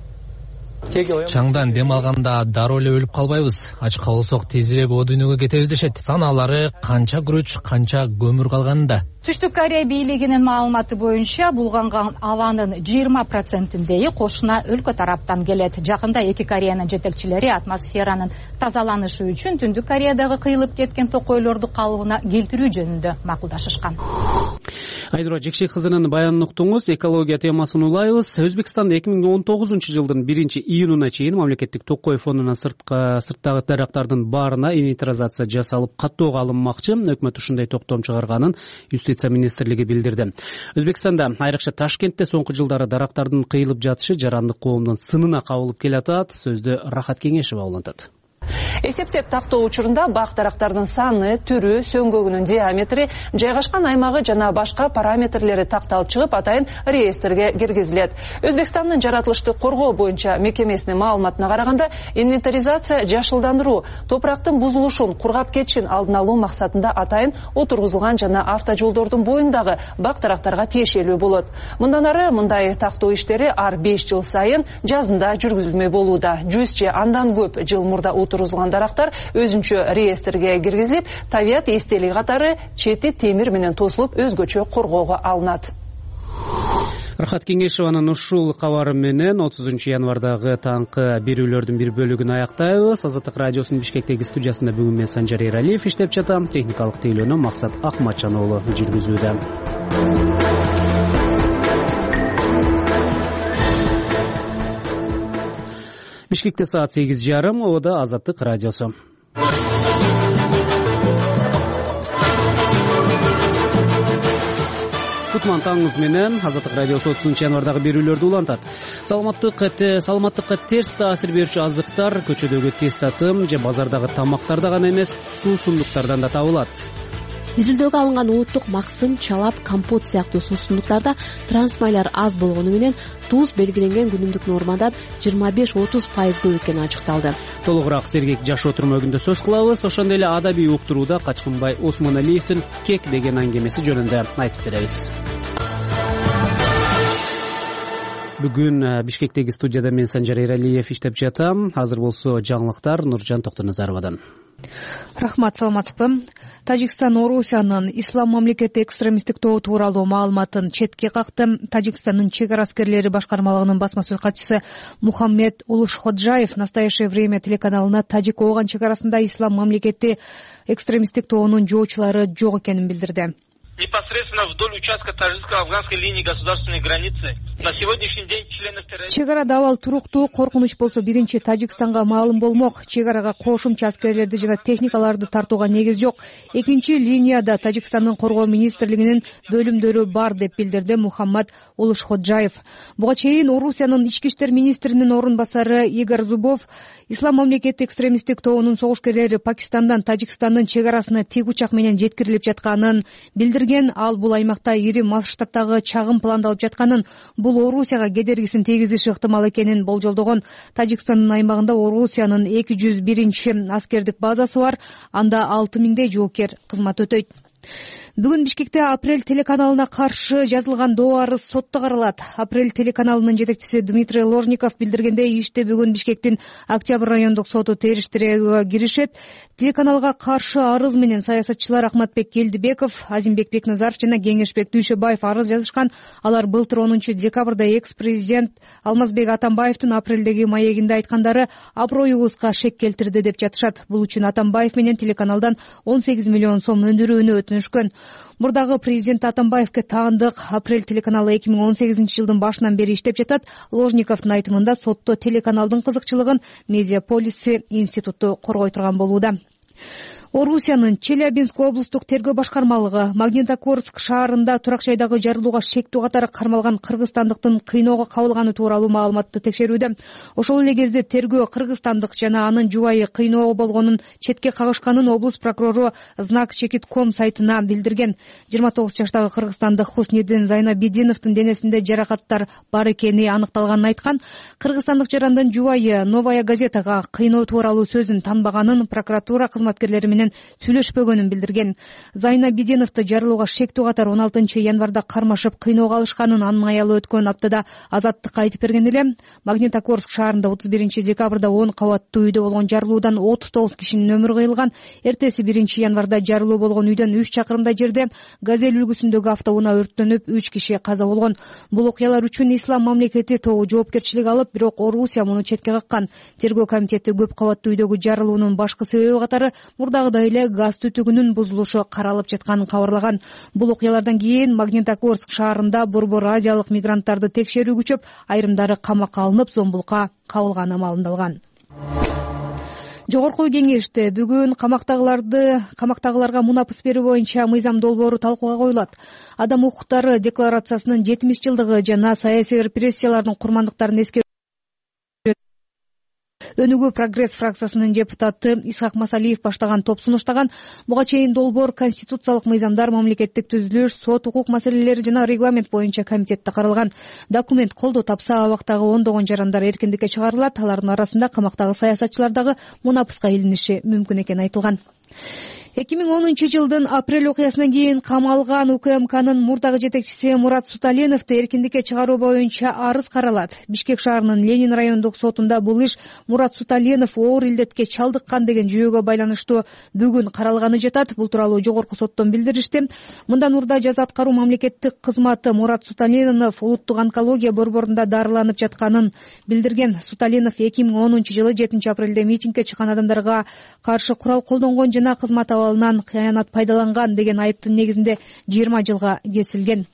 D: Чаңдан дем алганда дароо эле өлүп калбайбыз. Ачка болсок тезирээк о дүйнөгө кетебиз дешет. Санаалары канча күрөч, канча көмүр калганында.
S: Түштүк Корея бийлигинин маалыматы боюнча булганган абанын 20%-ндеи кошуна өлкө тараптан келет. Жакында эки Кореянын жетекчилери атмосферанын тазаланышы үчүн Түндүк Кореядагы кыйылып кеткен токойлорду калыбына келтирүү жөнүндө макулдашышкан.
A: Айнура Жекше кызынын баянын уктуңуз. Экология темасын улайбыз. Өзбекстанда 2019-жылдын 1-июнуна чейин мамлекеттик токой фондунан сырттагы дарактардын баарына инвентаризация жасалып каттоого алынмакчы. Өкмөт ушундай токтом чыгарганын Юстиция министрлиги билдирди. Өзбекстанда, айрыкча Ташкентте соңку жылдары дарактардын кыйылып жатышы жарандык коомдун сынына кабылып келатат. Сөздү Рахат Кеңешева улантат.
T: Эсептеп тактоо учурунда бак дарактардын саны, түрү, сөңгөгүнүн диаметри, жайгашкан аймагы жана башка параметрлери такталып чыгып, атайын реестрге киргизилет. Өзбекстандын жаратылышты коргоо боюнча мекемесинин маалыматына караганда, инвентаризация жашылдандыруу, топурактын бузулушун, кургап кетишин алдын алуу максатында атайын отургузулган жана автожолдордун боюндагы бак дарактарга тиешелүү болот. Мындан ары мындай тактоо иштери ар 5 жыл сайын жазында жүргүзүлмөй болууда. 100 же андан көп жыл мурда отургузулган дарактар өзүнчө реестрге киргизилип, табият эстелиги катары чети темир менен тосулуп өзгөчө коргоого алынат.
A: Рахат Кеңешованын ушул кабары менен 30 январдагы таңкы берүүлөрдүн бир бөлүгүн аяктайбыз. Азаттык радиосунун Бишкектеги студиясында бүгүн мен Санжар Эралиев иштеп жатам. Техникалык тейлөөнү Максат Акматжан уулу жүргүзүүдө. Бишкекте саат 8:30, Ободо Азаттык радиосу. Кутман таңыңыз менен Азаттык радиосу 30 январдагы берүүлөрдү улантат. Саламаттыкка терс таасир берүүчү азыктар көчөдөгү тез татым же базардагы тамактарда гана эмес, суусундуктардан да табылат.
U: Изилдөөгө алынган ууттук максым, чалап, компот сыяктуу суусундуктарда трансмайлар аз болгону менен туз белгиленген күнүмдүк нормадан 25-30% көп экени ачыкталды.
A: Толугураак Сергек жашоо түрмөгүндө сөз кылабыз. Ошондой эле адабий уктурууда Качкынбай Осмоналиевдин Кек деген аңгемеси жөнүндө айтып беребиз. Бүгүн Бишкектеги студияда мен Санжар Эралиев иштеп жатам. Азыр болсо жаңылыктар Нуржан Токтоназаровадан.
E: Рахмат, саламатсызбы? Тажикстан Орусиянын Ислам мамлекети экстремисттик тобу тууралуу маалыматын четке какты. Тажикстандын чек ара аскерлери башкармалыгынын басма сөз катчысы Мухаммед Улушходжаев в настоящее время телеканалына Тажик-Ооган чек арасында Ислам мамлекети экстремисттик тобунун жоочулары жок экенин билдирди.
F: Непосредственно вдоль участка таджикско-афганской линии государственной границы на сегодняшний день членов террористов.
E: Чек арада абал туруктуу, коркунуч болсо биринчи Тажикстанга маалым болмок. Чек арага кошумча аскерлерди жана техникаларды тартууга негиз жок. Экинчи линияда Тажикстандын коргоо министрлигинин бөлүмдөрү бар деп билдирди Мухаммад Улушходжаев. Буга чейин Орусиянын ички иштер министринин орун басары Игорь Зубов Ислам мамлекети экстремисттик тобунун согушкерлери Пакистандан Тажикстандын чек арасына тик учак менен жеткирилип жатканын билдирген. Ал бул аймакта ири масштабтагы чагым пландалып жатканын, бул Орусияга кедергисин тийгизиши ыктымал экенин болжолдогон. Тажикстандын аймагында Орусиянын 201 аскердик базасы бар. Анда 6000 жоокер кызмат өтөйт. Бүгүн Бишкекте Апрель телеканалына каршы жазылган доо арыз сотто каралат. Апрель телеканалынын жетекчиси Дмитрий Ложников билдиргендей, ишти бүгүн Бишкектин Октябрь райондук соту териштирүүгө киришет. Телеканалга каршы арыз менен саясатчылар Ахматбек Келдибеков, Азимбек Бекназаров жана Кеңешбек Дүйшөбаев арыз жазышкан. Алар былтыр 10 декабрда экс-президент Алмазбек Атамбаевдин апрелдеги маегинде айткандары аброюбузга шек келтирди деп жатышат. Бул үчүн Атамбаев менен телеканалдан 18 миллион сом өндүрүүнү өтүнүшкөн. Мурдагы президент Атамбаевге таандык Апрель телеканалы 2018 жылдын башынан бери иштеп жатат. Ложниковдун айтымында сотто телеканалдын кызыкчылыгын Медиаполиси институту коргой турган болууда. Орусиянын Челябинск облустук тергөө башкармалыгы Магнитогорск шаарында турак жайдагы жарылууга шектүү катары кармалган кыргызстандыктын кыйноого кабылганы тууралуу маалыматты текшерүүдө. Ошол эле кезде тергөө кыргызстандык жана анын жубайы кыйноого болгонун четке кагышканын облус прокурору Знак Чекит.com сайтына билдирген. 29 жаштагы кыргызстандык Хуснидин Зайнабидиновдун денесинде жаракаттар бар экени аныкталганын айткан. Кыргызстандык жарандын жубайы Новая газетага кыйноо тууралуу сөзүн танбаганын, прокуратура кызматкерлери менен сүйлөшпөгөнүн билдирген. Зайнабидиновду жарылууга шектүү катар 16 январда кармашып кыйноого алышканын анын аялы өткөн аптада Азаттыкка айтып берген эле. Магнитогорск шаарында 31 декабрда 10 кабаттуу үйдө болгон жарылуудан 39 кишинин өмүрү кыйылган. Эртеси 1 январда жарылуу болгон үйдөн 3 чакырымдай жерде Газель үлгүсүндөгү автоунаа өрттөнүп 3 киши каза болгон. Бул окуялар үчүн Ислам мамлекети тобу жоопкерчилик алып, бирок Орусия муну четке каккан. Тергөө комитети көп кабаттуу үйдөгү жарылуунун башкы себеби катары мурдагыдай эле газ түтүгүнүн бузулушу каралып жатканын кабарлаган. Бул окуялардан кийин Магнитогорск шаарында борбор азиялык мигранттарды текшерүү күчөп, айрымдары камакка алынып, зомбулукка кабылганы маалымдалган. Жогорку кеңеште бүгүн камактагыларга мунапыс берүү боюнча мыйзам долбоору талкууга коюлат. Адам укуктары декларациясынын 70 жылдыгы жана саясий репрессиялардын курмандыктарын Өнүгүү прогресс фракциясынын депутаты Исхак Масалиев баштаган топ сунуштаган буга чейин долбоор конституциялык мыйзамдар, мамлекеттик түзүлүш, сот, укук маселелери жана регламент боюнча комитетте каралган. Документ колдоо тапса, абактагы ондогон жарандар эркиндикке чыгарылат. Алардын арасында камактагы саясатчылар дагы мунапыска илиниши мүмкүн экени айтылган. 2010 жылдын апрель окуясынан кийин камалган УКМКнын мурдагы жетекчиси Мурат Суталиновду эркиндикке чыгаруу боюнча арыз каралат. Бишкек шаарынын Ленин райондук сотунда бул иш Мурат Суталинов оор илдетке чалдыккан деген жүйөгө байланыштуу бүгүн каралганы жатат. Бул тууралуу жогорку соттон билдиришти. Мындан мурда жаза аткаруу мамлекеттик кызматы Мурат Суталинов улуттук онкология борборунда дарыланып жатканын билдирген. Суталинов 2010 жылы 7 апрелде митингге чыккан адамдарга каршы курал колдонгон жана кызмат абалынан кыянат пайдаланган деген айыптын негизинде 20 жылга кесилген.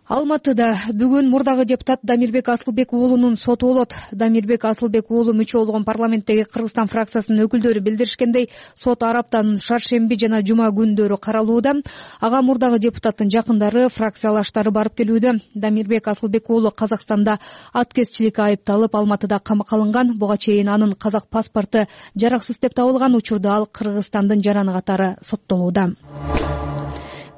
E: Алматыда бүгүн мурдагы депутат Дамирбек Асылбек уулунун соту болот. Дамирбек Асылбек уулу мүчө болгон парламенттеги Кыргызстан фракциясынын өкүлдөрү билдиришкендей, сот ар аптанын шаршемби жана жума күндөрү каралууда. Ага мурдагы депутаттын жакындары, фракциялаштары барып келүүдө. Дамирбек Асылбек уулу Казакстанда аткезчиликке айыпталып, Алматыда камакка алынган. Буга чейин анын казак паспорту жараксыз деп табылган учурда ал Кыргызстандын жараны катары соттолууда.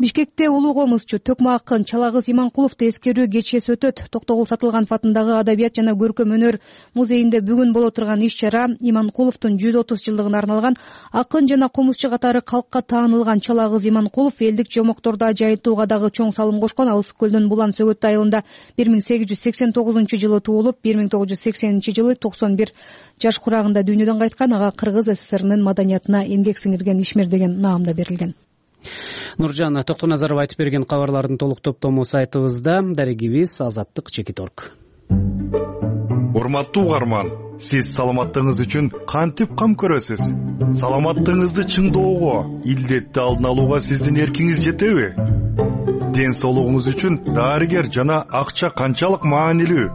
E: Бишкекте улуу комузчу Төкмө акын Чалагыз Иманкуловду эскерүү кечеси өтөт. Токтогул Сатылганов атындагы Адабият жана көркөм өнөр музейинде бүгүн боло турган иш-чара Иманкуловдун 130 жылдыгына арналган. Акын жана комузчу катары калкка таанылган Чалагыз Иманкулов элдик жомокторду жайытууга дагы чоң салым кошкон. Ал Ысык көлдүн Булан Сөгөт айылында 1889 жылы туулуп, 1980 жылы 91 жаш курагында дүйнөдөн кайткан. Ага Кыргыз ССРнын маданиятына эмгек сиңирген ишмер деген наам да берилген. Нуржан Токтоназаров айтып берген кабарлардын толук топтому сайтыбызда. Дарегибиз Азаттык Чекиторг.
B: Урматтуу угарман, сиз саламаттыгыңыз үчүн кантип кам көрөсүз? Саламаттыгыңызды чыңдоого, илдетти алдын алууга сиздин эркиңиз жетеби? Ден соолугуңуз үчүн дарыгер жана акча канчалык маанилүү?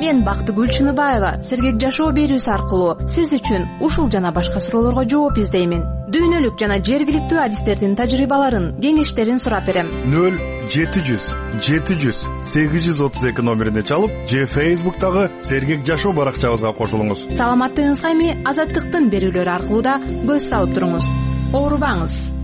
V: Мен Бактыгүл Чыныбаева сергек жашоо берүүсү аркылуу сиз үчүн ушул жана башка суроолорго жооп издеймин. Дүйнөлүк жана жергиликтүү адистердин тажрыйбаларын, кеңештерин сурап берем.
B: 0-700-832 номерине чалып, же Facebook'тагы сергек жашоо баракчабызга кошулуңуз.
V: Саламаттыгыңызга эми Азаттыктын берүүлөрү аркылуу да көз салып туруңуз. Оорубаңыз.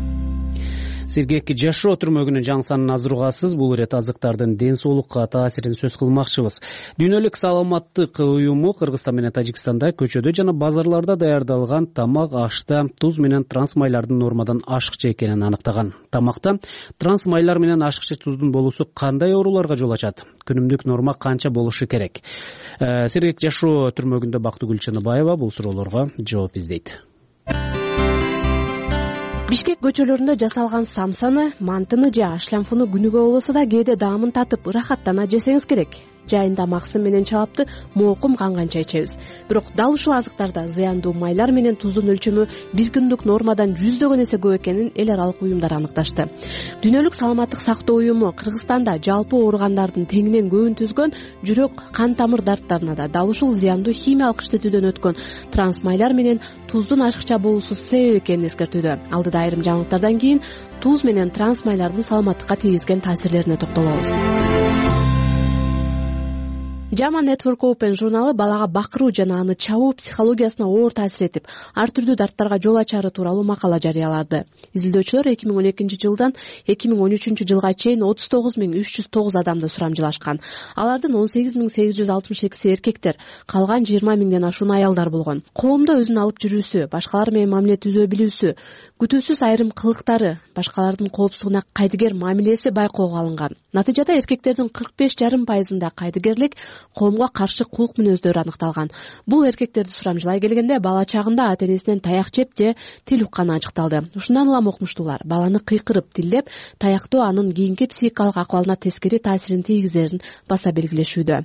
A: Сергек жашоо түрмөгүнүн жаңы санын азыр угасыз. Бул ирет азыктардын ден соолукка таасирин сөз кылмакчыбыз. Дүйнөлүк саламаттык уюму Кыргызстан менен Тажикстанда көчөдө жана базарларда даярдалган тамак ашта туз менен транс майлардын нормадан ашыкча экенин аныктаган. Тамакта транс майлар менен ашыкча туздун болуусу кандай ооруларга жол ачат? Күнүмдүк норма канча болушу керек? Сергек жашоо түрмөгүндө Бактыгүл Чыныбаева бул суроолорго жооп издейт.
U: Бишкек көчөлөрүндө жасалган самсаны, мантыны же ашлямфуну күнүгө болбосо да кээде даамын татып, ырахаттана жесеңиз керек. Жайында максым менен чалапты моокум канганча ичебиз. Бирок дал ушул азыктарда зыяндуу майлар менен туздун өлчөмү бир күндүк нормадан 100 эсе көп экенин эл аралык уюмдар аныкташты. Дүйнөлүк саламаттык сактоо уюму Кыргызстанда жалпы ооругандардын теңинен көбүн түзгөн жүрөк, кан тамыр дарттарына да дал ушул зыяндуу химиялык иштетүүдөн өткөн транс майлар менен туздун ашыкча болуусу себеп экенин эскертүүдө. Алдыда айрым жаңылыктардан кийин туз менен транс майлардын саламаттыкка тийгизген таасирлерине токтолобуз. Jama Network Open журналы балага бакыруу жана аны чабуу психологиясына оор таасир этип, ар түрдүү дарттарга жол ачары тууралуу макала жарыялады. Изилдөөчүлөр 2012 жылдан 2013 жылга чейин 39309 адамды сурамжылашкан. Алардын 18862 эркектер, калган 20000ден ашуун аялдар болгон. Коомдо өзүн алып жүрүүсү, башкалар менен мамиле түзө билүүсү, күтүүсүз айрым кылыктары, башкалардын коопсуздугуна кайдыгер мамилеси байкоого алынган. Натыйжада эркектердин 45,5% кайдыгерлик, коомго каршы кулк мүнөздөрү аныкталган. Бул эркектерди сурамжылай келгенде бала чагында ата-энесинен таяк жеп же тил укканы ачыкталды. Ушундан улам окумуштуулар баланы кыйкырып, тилдеп, таяктоо анын кийинки психикалык акыбалына тескери таасирин тийгизерин баса белгилешүүдө.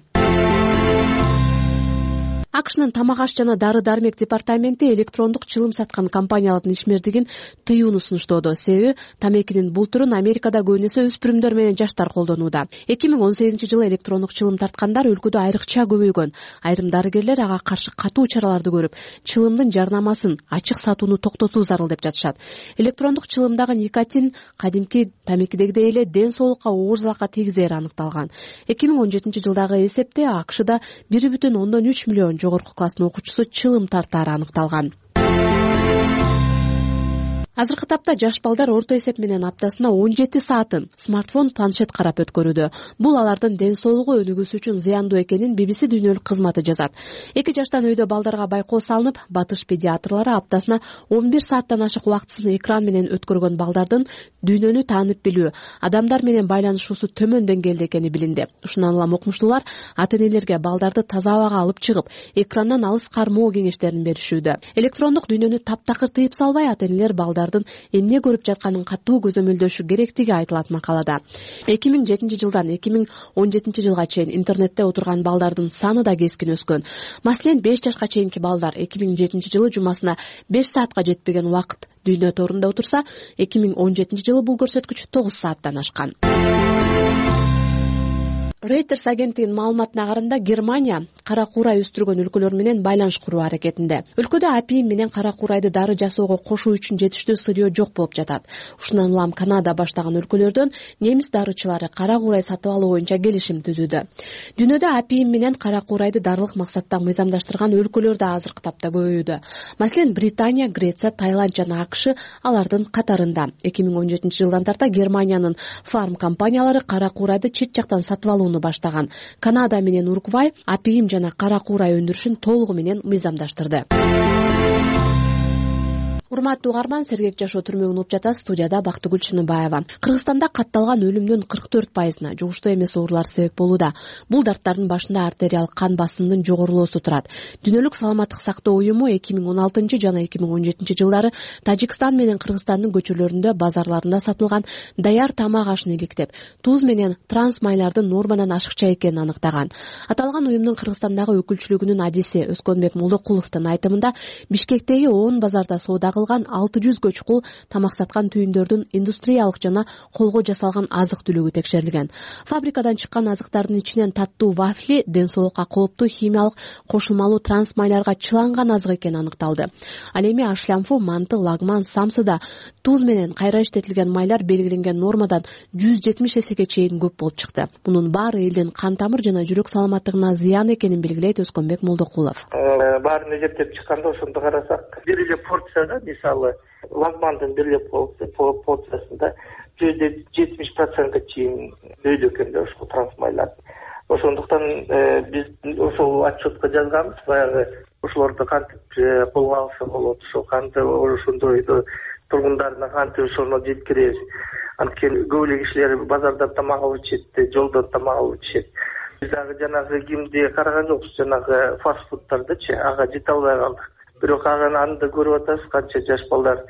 U: АКШнын тамак аш жана дары-дармек департаменти электрондук чылым саткан компаниялардын ишмердигин тыюуну сунуштоодо. Себеби тамекинин бул түрүн Америкада көбүн эсе өспүрүмдөр менен жаштар колдонууда. 2018 жылы электрондук чылым тарткандар өлкөдө айрыкча көбөйгөн. Айрым дарыгерлер ага каршы катуу чараларды көрүп, чылымдын жарнамасын, ачык сатууну токтотуу зарыл деп жатышат. Электрондук чылымдагы никотин кадимки тамекидегидей эле ден соолукка оор залалга тийгизери аныкталган. 2017 жылдагы эсепте АКШда 1,3 миллион жогорку жогорку класстын окуучусу чылым тартаары аныкталган. Азыркы тапта жаш балдар орто эсеп менен аптасына 17 саатын смартфон, планшет карап өткөрүүдө. Бул алардын ден соолугу өнүгүүсү үчүн зыяндуу экенин BBC дүйнөлүк кызматы жазат. 2 жаштан өйдө балдарга байкоо салынып, Батыш педиатрлары аптасына 11 сааттан ашык убактысын экран менен өткөргөн балдардын дүйнөнү таанып билүү, адамдар менен байланышуусу төмөн деңгээлде экени билинди. Ушундан улам окумуштуулар ата-энелерге балдарды таза абага алып чыгып, экрандан алыс кармоо кеңештерин беришүүдө. Электрондук дүйнөнү таптакыр тыйып салбай, ата-энелер балдардын эмне көрүп жатканын катуу көзөмөлдөшү керектиги айтылат макалада. 2007 жылдан 2017 жылга чейин интернетте отурган балдардын саны да кескин өскөн. Маселен, 5 жашка чейинки балдар 2007 жылы жумасына 5 саатка жетпеген убакыт дүйнө торунда отурса, 2017 жылы бул көрсөткүч 9 сааттан ашкан. Reuters агенттигинин маалыматына караганда, Германия кара куурай өстүргөн өлкөлөр менен байланыш куруу аракетинде. Өлкөдө апиим менен кара куурайды дары жасоого кошуу үчүн жетиштүү сырьё жок болуп жатат. Ушундан улам Канада баштаган өлкөлөрдөн немис дарычылары кара куурай сатып алуу боюнча келишим түзүүдө. Дүйнөдө апиим менен кара куурайды дарылык максатта мыйзамдаштырган өлкөлөр да азыркы тапта көбөйүүдө. Маселен, Британия, Греция, Таиланд жана АКШ алардын катарында. 2017 жылдан тарта Германиянын фарм компаниялары кара куурайды чет жактан сатып алууну баштаган. Канада менен Уругвай апиим жана кара куурай өндүрүшүн толугу менен мыйзамдаштырды. Урматтуу угарман, Сергек жашоо түрмөгүн угуп жатасыз. Студияда Бактыгүл Чыныбаева. Кыргызстанда катталган өлүмдүн 44%-на жугуштуу эмес оорулар себеп болууда. Бул дарттардын башында артериалдык кан басымынын жогорулоосу турат. Дүйнөлүк саламаттык сактоо уюму 2016 жана 2017 жылдары Тажикстан менен Кыргызстандын көчөлөрүндө, базарларында сатылган даяр тамак ашын иликтеп, туз менен транс майлардын нормадан ашыкча экенин аныктаган. Аталган уюмдун Кыргызстандагы өкүлчүлүгүнүн адиси Өскөнбек Молдокуловдун айтымында, Бишкектеги 10 базарда соода 600 чукул тамак саткан түйүндөрдүн индустриялык жана колго жасалган азык-түлүгү текшерилген. Фабрикадан чыккан азыктардын ичинен таттуу вафли ден соолукка кооптуу химиялык кошулмалуу транс майларга чыланган азык экени аныкталды. Ал эми ашлямфу, манты, лагман, самсыда туз менен кайра иштетилген майлар белгиленген нормадан 170 эсеге чейин көп болуп чыкты. Мунун баары элдин кан тамыр жана жүрөк саламаттыгына зыян экенин белгилейт Өскөнбек Молдокулов.
C: Баарын эсептеп чыкканда ошондо карасак, бир эле порцияда мисалы лагмандын бир эле порциясында 170%га чейин өйдө экен да ушул трансмайлар. Ошондуктан биз ошол отчетко жазганбыз, баягы ошолорду кантип колго алса болот, ошо кантип ошондой тургундарына кантип ошону жеткиребиз. Анткени көп эле кишилер базардан тамак алып ичет, жолдон тамак алып ичет. Биз дагы жанагы кимди караган жокпуз, жанагы фастфудтардычы, ага жете албай калдык. Бирок аны да көрүп атабыз, канча жаш балдар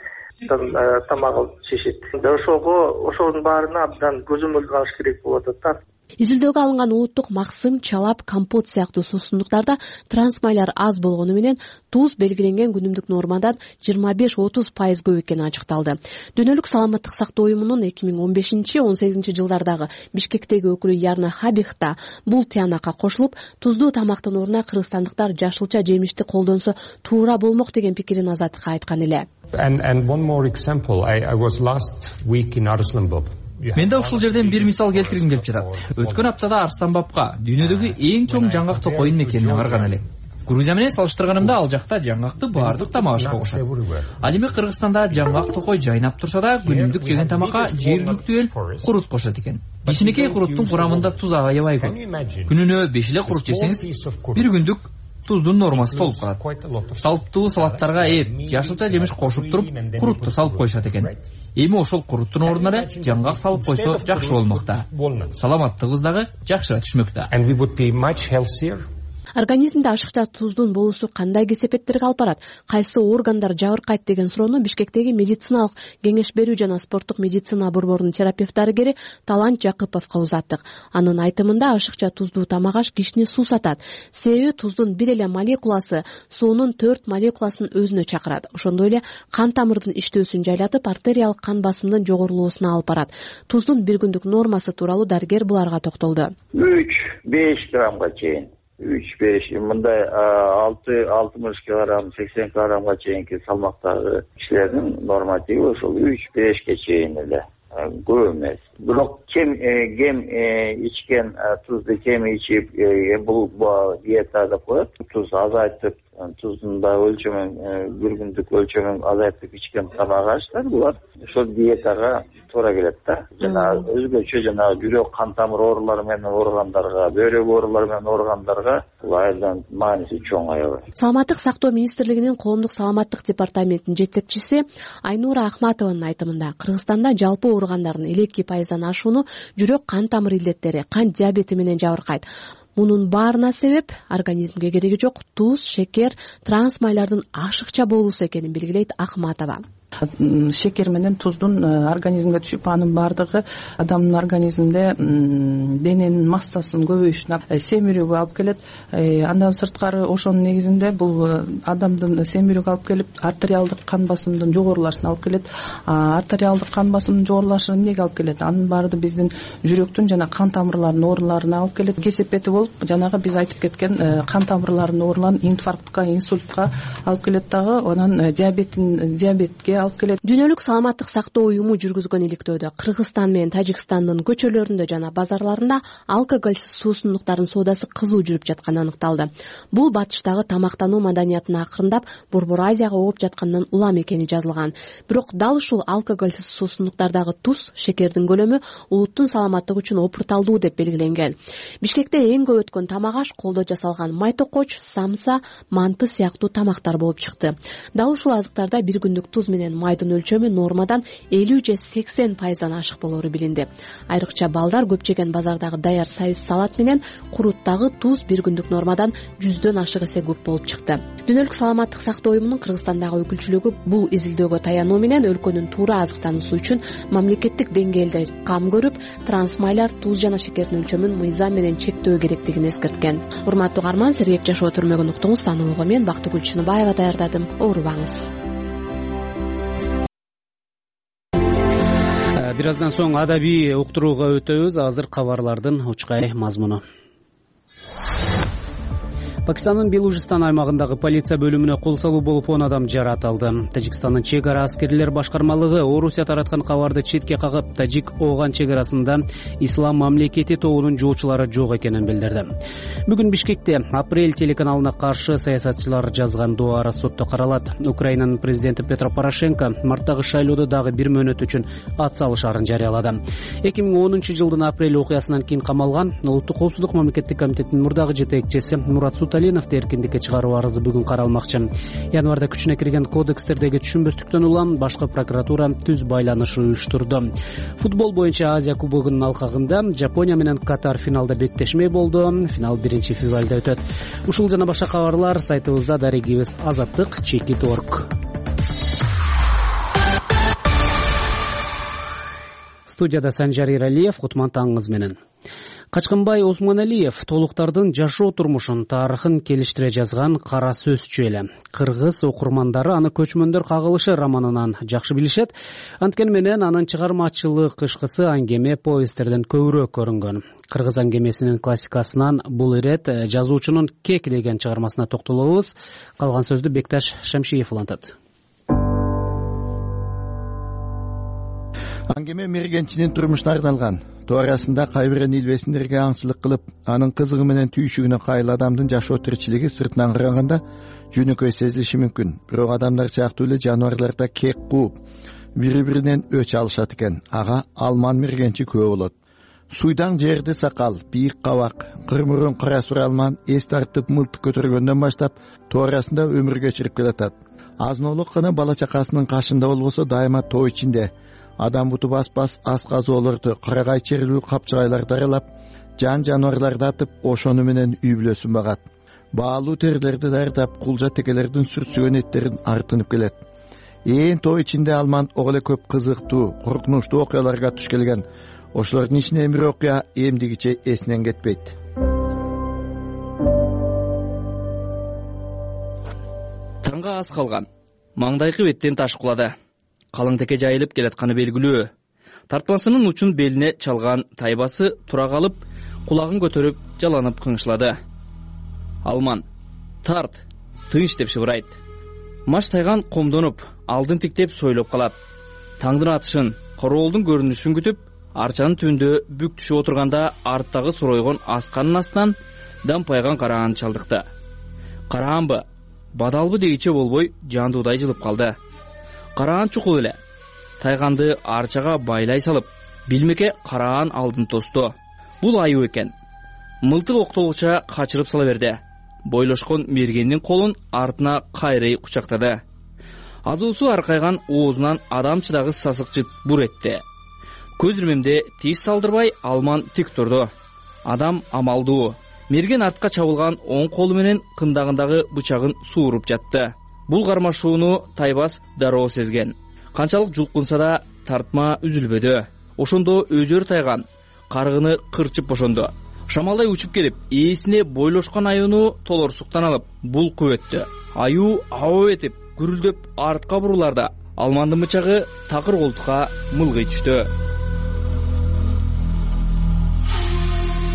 C: тамак алып ичишет. Ошонун баарына абдан көзөмөлгө алыш керек болуп атат.
U: Изилдөөгө алынган улуттук максым, чалап, компот сыяктуу суусундуктарда трансмайлар аз болгону менен туз белгиленген күнүмдүк нормадан 25-30% көп экени ачыкталды. Дүйнөлүк саламаттык сактоо уюмунун 2015-18 жылдардагы Бишкектеги өкүлү Ярна Хабихта бул тыянакка кошулуп, туздуу тамактын ордуна кыргызстандыктар жашылча жемишти колдонсо туура болмок деген пикирин Азаттыкка айткан эле.
G: And one more example, I was last week in Arslanbab.
W: Мен да ушул жерден бир мисал келтиргим келип жатат. Өткөн аптада Арсланбабка дүйнөдөгү эң чоң жаңгак токойдун мекенине барган элем. Грузия менен салыштырганымда ал жакта жаңгакты баардык тамак ашка кошот. Ал эми Кыргызстанда жаңгак токой жайнап турса да, күнүмдүк жеген тамакка жергиликтүү эл курут кошот экен. Кичинекей куруттун курамында туз аябай көп. Күнүнө 5 эле курут жесеңиз, бир күндүк туздун нормасы толуп калат. Салттуу салаттарга жашылча жемиш кошуп туруп, курутту салып коюшат экен. Эми ошол куруттун ордуна эле жаңгак салып койсо жакшы болмок да. Саламаттыгыбыз дагы жакшыра түшмөк да.
U: Организмде ашыкча туздун болуусу кандай кесепеттерге алып барат? Кайсы органдар жабыркайт деген суроону Бишкектеги медициналык кеңеш берүү жана спорттук медицина борборунун терапевт-дарыгери Талант Жакыповго узаттык. Анын айтымында ашыкча туздуу тамак аш кишини суусатат. Себеби туздун бир эле молекуласы суунун 4 молекуласын өзүнө чакырат. Ошондой эле кан тамырдын иштөөсүн жайлатып, артериалык кан басымынын жогорулоосуна алып барат. Туздун бир күндүк нормасы тууралуу дарыгер буларга токтолду.
X: 3-5 граммга чейин. 3-5, мындай 60 килограмм, 80 килограммга чейинки салмактагы кишилердин нормативи ошол 3-5ке чейин эле. көп эмес. Бирок кем ичкен, тузду кем ичип, бул диета деп коет. Туз азайтып, туздун да өлчөмүн, бир күндүк өлчөмүн азайтып ичкен тамак аштар булар ошол диетага туура келет да. Жана өзгөчө жанагы жүрөк кан тамыр оорулары менен ооругандарга, бөйрөк оорулары менен ооругандарга бул айдан мааниси чоң аябай.
U: Саламаттык сактоо министрлигинин коомдук саламаттык департаментинин жетекчиси Айнура Ахматованын айтымында Кыргызстанда жалпы ооругандардын 2% ашууну жүрөк кан тамыр илдеттери, кант диабети менен жабыркайт. Мунун баарына себеп организмге кереги жок туз, шекер, транс майлардын ашыкча болуусу экенин белгилейт Ахматова.
I: Шекер менен туздун организмге түшүп, анын баардыгы адамдын организминде дененин массасынын көбөйүшүнө, семирүүгө алып келет. Андан сырткары ошонун негизинде бул адамдын семирүүгө алып келип, артериалдык кан басымдын жогорулашына алып келет. Артериалдык кан басымдын жогорулашына эмнеге алып келет? Анын баары биздин жүрөктүн жана кан тамырларынын ооруларына алып келет. Кесепети болуп, жанагы биз айтып кеткен кан тамырларынын ооруларын инфарктка, инсультка алып келет дагы, анан диабетке алып келет.
U: Дүйнөлүк саламаттык сактоо уюму жүргүзгөн иликтөөдө Кыргызстан менен Тажикстандын көчөлөрүндө жана базарларында алкоголсуз суусундуктардын соодасы кызуу жүрүп жатканы аныкталды. Бул батыштагы тамактануу маданиятын акырындап Борбор Азияга ооп жатканынан улам экени жазылган. Бирок дал ушул алкоголсуз суусундуктардагы туз, шекердин көлөмү улуттун саламаттыгы үчүн опурталдуу деп белгиленген. Бишкекте эң көп өткөн тамак аш колдо жасалган майтокоч, самса, манты сыяктуу тамактар болуп чыкты. Дал ушул азыктарда бир күндүк туз менен майдын өлчөмү нормадан 50 же 80% ашык болору билинди. Айрыкча балдар көп жеген базардагы даяр союз салат менен куруттагы туз бир күндүк нормадан 100дөн ашык эсе көп болуп чыкты. Дүйнөлүк саламаттык сактоо уюмунун Кыргызстандагы өкүлчүлүгү бул изилдөөгө таянуу менен өлкөнүн туура азыктануусу үчүн мамлекеттик деңгээлде кам көрүп, транс майлар, туз жана шекердин өлчөмүн мыйзам менен чектөө керектигин эскерткен. Урматтуу угарман, Сергек Жашоо түрмөгүн уктуңуз. Анылыгы мен Бактыгүл Чыныбаева даярдадым. Оорубаңыз.
A: Бир аздан соң адабий уктурууга өтөбүз. Азыр кабарлардын учкай мазмуну. Пакистандын Белужистан аймагындагы полиция бөлүмүнө кол салуу болуп 10 адам жаратылды. Тажикстандын чек ара аскерлер башкармалыгы Орусия тараткан кабарды четке кагып, Тажик-Ооган чек арасында Ислам мамлекети тобунун жоочулары жок экенин билдирди. Бүгүн Бишкекте Апрель телеканалына каршы саясатчылар жазган дуара сотто каралат. Украинанын президенти Петро Порошенко марттагы шайлоодо дагы 1 мөөнөт үчүн ат салышаарын жарыялады. 2010-жылдын апрель окуясынан кийин камалган Улуттук коопсуздук мамлекеттик комитетинин мурдагы жетекчиси Мурат Талиновду эркиндикке чыгаруу арызы бүгүн каралмакчы. Январда күчүнө кирген кодекстердеги түшүнбөстүктөн улам башкы прокуратура түз байланыш уюштурду. Футбол боюнча Азия кубогунун алкагында Жапония менен Катар финалда беттешмей болду. Финал 1-февралда өтөт. Ушул жана башка кабарлар сайтыбызда дарегибиз azatlyk.org. Студияда Санжар Иралиев, Кутман таңыңыз менен. Качкынбай Осмоналиев толуктардын жашоо турмушун, тарыхын келиштире жазган кара сөзчү эле. Кыргыз окурмандары аны Көчмөндөр кагылышы романынан жакшы билишет. Анткени менен анын чыгармачылык ышкысы аңгеме повесттерден көбүрөөк көрүнгөн. Кыргыз аңгемесинин классикасынан бул ирет жазуучунун Кек деген чыгармасына токтолобуз. Калган сөздү Бекташ Шамшиев улантат.
J: Аңгеме мергенчинин турмушуна арналган. Туурасында кайбирен илбесиндерге аңчылык кылып, анын кызыгы менен түйшүгүнө кайыл адамдын жашоо тиричилиги сыртынан караганда жөнөкөй сезилиши мүмкүн. Бирок адамдар сыяктуу эле жаныбарлар да кек кууп, бири-биринен өч алышат экен. Ага алман мергенчи күбө болот. Суйдаң жерди сакал, бийик кабак, кырмурун кара суралман эс тартып мылтык көтөргөндөн баштап туурасында өмүр кечирип келатат. Азноолук гана бала чакасынын кашында болбосо дайыма тоо ичинде. Адам буту бас ас казоолорду, карагай черлүү капчыгайларды аралап, жан жаныбарларды атып, ошону менен үй бүлөсүн багат. Баалуу терлерди даярдап, кулжа текелердин сүртсүгөн эттерин артынып келет. Ээн тоо ичинде алман ого эле көп кызыктуу, коркунучтуу окуяларга туш келген. Ошолордун ичинен бир окуя эмдигиче эсинен кетпейт.
K: Таңга аз калган. Маңдайкы беттен таш кулады. Калың теке жайылып келатканы белгилүү. Тартмасынын учун белине чалган тайбасы тура калып, кулагын көтөрүп, жаланып кыңшылады. Алман: "Тарт, тынч" деп шыбырайт. Маш тайган комдонуп, алдын тиктеп сойлоп калат. Таңдын атышын, короолдун көрүнүшүн күтүп арчанын түбүндө бүк түшүп отурганда арттагы соройгон асканын астынан дампайган караан чалдыкты. Караанбы, бадалбы дегиче болбой жандуудай жылып калды. Караан чукул эле. Тайганды арчага байлай салып, билмеке караан алдын тосту. Бул аюу экен. Мылтык октолгуча качырып сала берди. Бойлошкон мергендин колун артына кайрый кучактады. Азуусу аркайган оозунан адамчыдагы сасык жыт бур этти. Көз ирмемде тиш салдырбай алман тик турду. Адам амалдуу. Мерген артка чабылган оң колу менен кындагындагы бычагын сууруп жатты. Бул кармашууну Тайбас дароо сезген. Канчалык жулкунса да тартма үзүлбөдү. Ошондо өзөр Тайган каргыны кырчып бошонду. Шамалдай учуп келип, ээсине бойлошкон аюуну толорсуктан алып, булкуп өттү. Аюу аба этип, гүрүлдөп артка буруларда алмандын бычагы такыр колтукка мылгый түштү.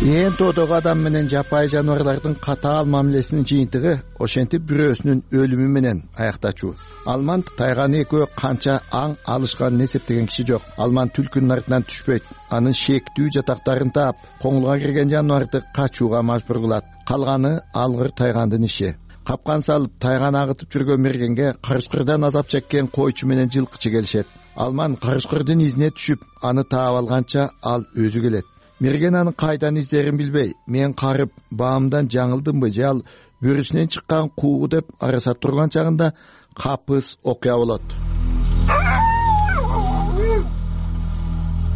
J: Ээн тоодогу адам менен жапайы жаныбарлардын катаал мамилесинин жыйынтыгы ошентип бирөөсүнүн өлүмү менен аяктачу. Алман Тайганы экөө канча аң алышканын эсептеген киши жок. Алман түлкүнүн артынан түшпөйт. Анын шектүү жатактарын таап, коңулга кирген жаныбарды качууга мажбур кылат. Калганы алгыр Тайгандын иши. Капкан салып Тайганы агытып жүргөн мергенге карышкырдан азап чеккен койчу менен жылкычы келишет. Алман карышкырдын изине түшүп, аны таап алганча ал өзү келет. Мерген анын кайдан издерин билбей, мен карып баамдан жаңылдымбы же ал бөрүсүнөн чыккан куугу деп араса турган чагында капыс окуя болот.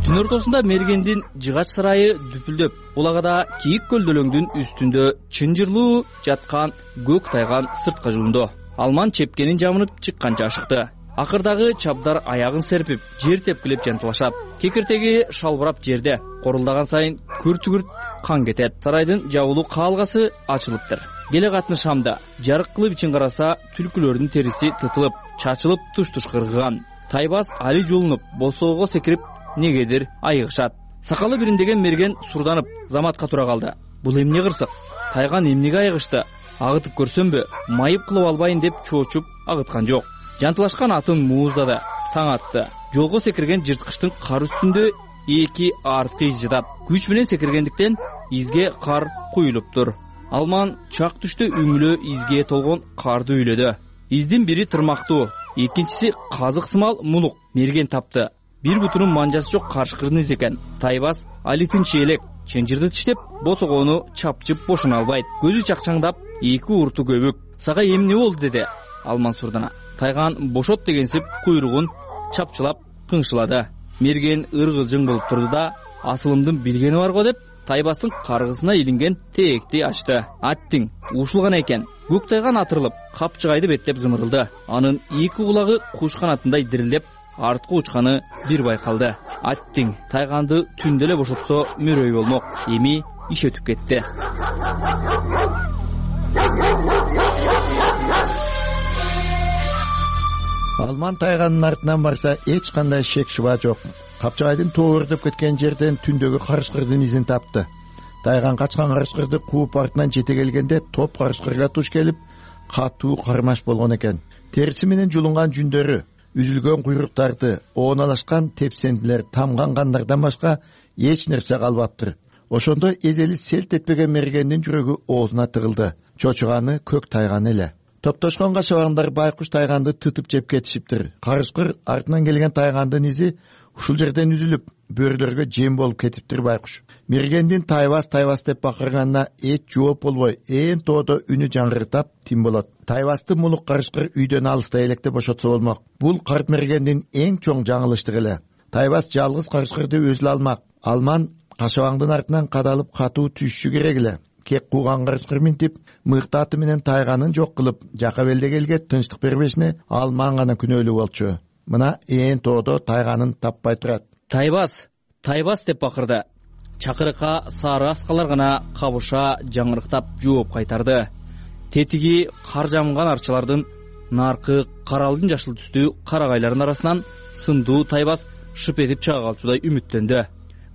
K: Түн ортосунда мергендин жыгач сарайы дүпүлдөп, булагада кийик көлдөлөңдүн үстүндө чынжырлуу жаткан көк Тайган сыртка жуунду. Алман чепкенин жамынып чыкканча ашыкты. Акырдагы чабдар аягын серпип, жер тепкилеп жантылашат. Кекиртеги шалбырап жерде. Корулдаган сайын күрт-күрт кан кетет. Сарайдын жабылуу каалгасы ачылыптыр. Келе катны шамда жарык кылып ичин караса, түлкүлөрдүн териси тытылып, чачылып туш-туш кыргыган. Тайбас али жулунуп, босоого секирип, негедир айыгышат. Сакалы бириндеген мерген сурданып, заматка тура калды. Бул эмне кырсык? Тайган эмнеге айыгышты? Агытып көрсөмбү, майып кылып албайын деп чоочуп агыткан жок. Жантылашкан атын мууздады, таң атты. Жолго секирген жырткычтын кар үстүндө эки арткы из жатат. Күч менен секиргендиктен изге кар куюлуптур. Алман чак түштө үңүлө изге толгон карды үйлөдү. Издин бири тырмактуу, экинчиси казык сымал мулук. Мерген тапты. Бир бутунун манжасы жок карышкырдын изи экен. Тайбас алитинчи элек чынжырды тиштеп, босогону чапчып бошуна албайт. Көзү чакчаңдап, эки урту көбүк. Сага эмне болду деди Алман сурдана. Тайган бошот дегенсип куйругун чапчылап кыңшылады. Мерген ыргылжың болуп турду да, асылымдын билгени бар го деп, Тайбастын каргысына илинген тээкти ачты. Аттиң ушулган экен. Көк Тайган атырылып, капчыгайды беттеп зымырылды. Анын эки кулагы куш канатындай дирилеп, артка учканы бир байкалды. Аттиң Тайганды түндө эле бошотсо мөрөй болмок. Эми иш өтүп кетти.
J: Алман Тайганын артынан барса эч кандай шек шуба жок. Капчыгайдын тоордоп кеткен жерден түндөгү карышкырдын изин тапты. Тайган качкан карышкырды кууп артынан жете келгенде топ карышкырга туш келип, катуу кармаш болгон экен. Териси менен жулунган жүндөрү, үзүлгөн куйруктарды, ооналашкан тепсендилер, тамган кандардан башка эч нерсе калбаптыр. Ошондо эзели селт этпеген мергендин жүрөгү оозуна тыгылды. Чочуганы көк Тайган эле. Топтошкон кашабаңдар байкуш Тайганды тытып жеп кетишиптир. Карышкыр артынан келген Тайгандын изи ушул жерден үзүлүп, бөрүлөргө жем болуп кетиптир байкуш. Мергендин Тайбас деп бакырганына эч жооп болбой, ээн тоодо үнү жаңгыртап тим болот. Тайбасты мулук карышкыр үйдөн алыста электе бошотсо болмок. Бул карт мергендин эң чоң жаңылыштыгы эле. Тайбас жалгыз карышкырды өзү алмак. Алман кашабаңдын артынан кадалып катуу түшүшү керек эле. Кек кууган карышкыр минтип, мыкты аты менен Тайганын жок кылып, жака белдегелге тынчтык бербешине Алман гана күнөөлүү болчу. Мына ээн тоодо Тайганын таппай турат.
K: Тайбас деп бакырды. Чакырыкка сары аскалар гана кабыша жаңырыктап жооп кайтарды. Тетиги кар жамган арчалардын наркы каралдын жашыл түстүү карагайлардын арасынан сындуу Тайбас шып этип чыга калчудай үмүттөндү.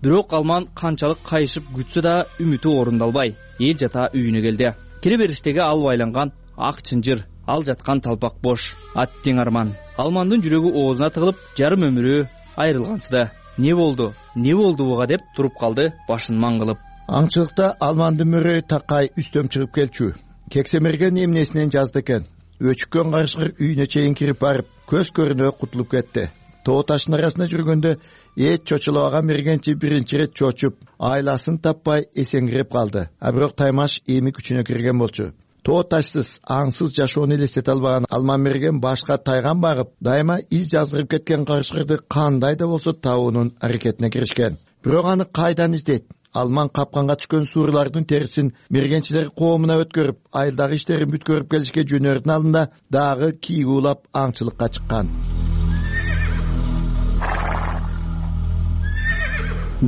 K: Бирок Алман канчалык кайышып күтсө да үмүтү орундалбай, эл жата үйүнө келди. Кире бериштеги ал байланган ак чынжыр, ал жаткан талпак бош. Аттиң арман. Алмандын жүрөгү оозуна тыгылып, жарым өмүрү айрылгансыды. Не болду буга деп туруп калды, башын маң кылып.
J: Аңчылыкта алмандын мөрөй такай үстөм чыгып келчү. Кексемерген эмнесинен жазды экен. Өчүккөн карышкыр үйүнө чейин кирип барып, көз көрүнө кутулуп кетти. Тоо таштын арасында жүргөндө эч чочулабаган мергенчи биринчи ирет чочуп, айласын таппай эсеңгирип калды. А бирок таймаш эми күчүнө кирген болчу. Тоо ташсыз, аңсыз жашоону элестете албаган Алман мерген башка тайган багып, дайыма из жазгырып кеткен карышкырды кандай да болсо табуунун аракетине киришкен. Бирок аны кайдан издейт? Алман капканга түшкөн суурлардын терисин мергенчилер коомуна өткөрүп, айылдагы иштерин бүткөрүп келишке жөнөрдүн алдында дагы кийик уулап аңчылыкка чыккан.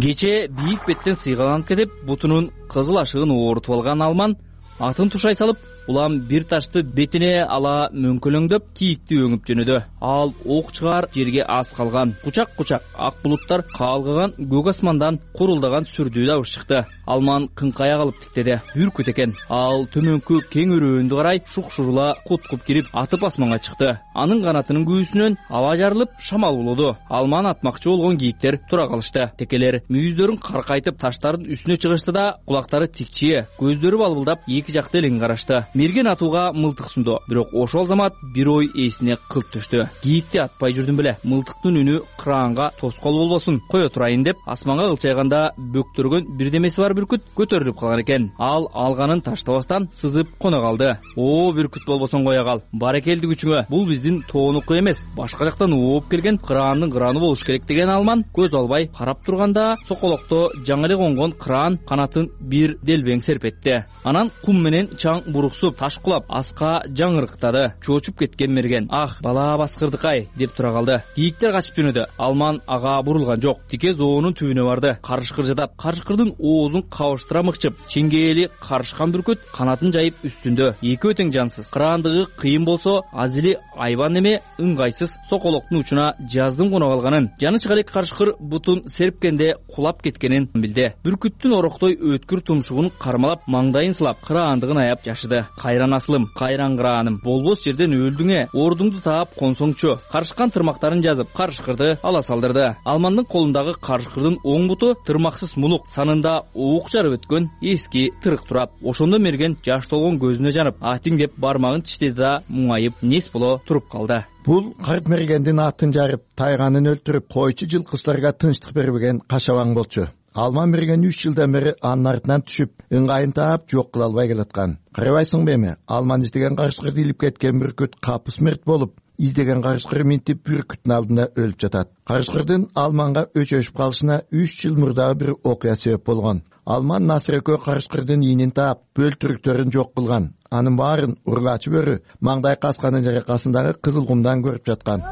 K: Кече бийик беттен сыйгаланып кетип, бутунун кызыл ашыгын оорутуп алган Алман атын тушай салып, улам бир ташты бетине ала мөңкөлөңдөп кийикти өңүп жөнөдү. Ал ок чыгаар жерге аз калган. Кучак ак булуттар каалгыган көк асмандан курулдаган сүрдүү дабыш чыкты. Алман кыңкая калып тиктеди. Бүркүт экен. Ал төмөнкү кең өрөөндү карай шук-шурула куткуп кирип, атып асманга чыкты. Анын канатынын күүсүнөн аба жарылып, шамал болду. Алман атмакчы болгон кийиктер тура калышты. Текелер мүйүздөрүн каркайтып таштардын үстүнө чыгышты да, кулактары тикчие, көздөрү балбылдап эки жакты элең карашты. Мерген атууга мылтык сунду, бирок ошол замат бир ой эсине кылт түштү. Кийикти атпай жүрдүм беле. Мылтыктын үнү кыраанга тоскоол болбосун, кое турайын деп асманга кылчайганда бөктөргөн бирдемеси бар бүркүт көтөрүлүп калган экен. Ал алганын таштабастан сызып кона калды. О, бүркүт болбосоң кое кал. Баракелди күчүңө. Бул биздин тоонуку эмес, башка жактан ооп келген кыраандын кыраны болуш керек деген Алман көз албай карап турганда, соколокто жаңы эле конгон кыраан канатын бир делбең серпетти. Анан кум менен чаң буруксуп, таш кулап, аска жаңырыктады. Чочуп кеткен мерген. Ах, бала баскырдык-ай деп тура калды. Кийиктер качып жөнөдү. Алман ага бурулган жок. Тике зоонун түбүнө барды. Карышкыр жатат. Карышкырдын оозун кабыштыра мыкчып, чеңгээли карышкан бүркүт канатын жайып үстүндө. Экөө тең жансыз. Кыраандыгы кыйын болсо, азили айбан эме ыңгайсыз соколоктун учуна жаздын кона калганын, жанычка элек карышкыр бутун серпкенде кулап кеткенин билди. Бүркүттүн ороктой өткүр тумшугун кармалап, маңдайын сылап, кыраандыгын аяп жашыды. Кайран асылым, кайран кырааным, болбос жерден өлдүңө, ордуңду таап консоңчу. Карышкан тырмактарын жазып, карышкырды ала салдырды. Алмандын колундагы карышкырдын оң буту тырмаксыз мулук, санында уук жарып өткөн эски тырык турат. Ошондо мерген жаш толгон көзүнө жанып, атиң деп бармагын тиштеди да муңайып нес боло туруп калды.
J: Бул карт мергендин атын жарып, тайганын өлтүрүп, койчу жылкычтарга тынчтык бербеген кашабаң болчу. Алман мерген 3 жылдан бери анын артынан түшүп, ыңгайын таап жок кыла албай келаткан. Карабайсыңбы эми? Алман издеген карышкырды илип кеткен бүркүт капыс мерт болуп, издеген карышкыр минтип бүркүттүн алдында өлүп жатат. Карышкырдын Алманга өчөшүп калышына 3 жыл мурдагы бир окуя себеп болгон. Алман насыр экөө карышкырдын ийинин таап, бөлтүрүктөрүн жок кылган. Анын баарын ургачы бөрү маңдай касканын жаракасындагы кызыл кумдан көрүп жаткан.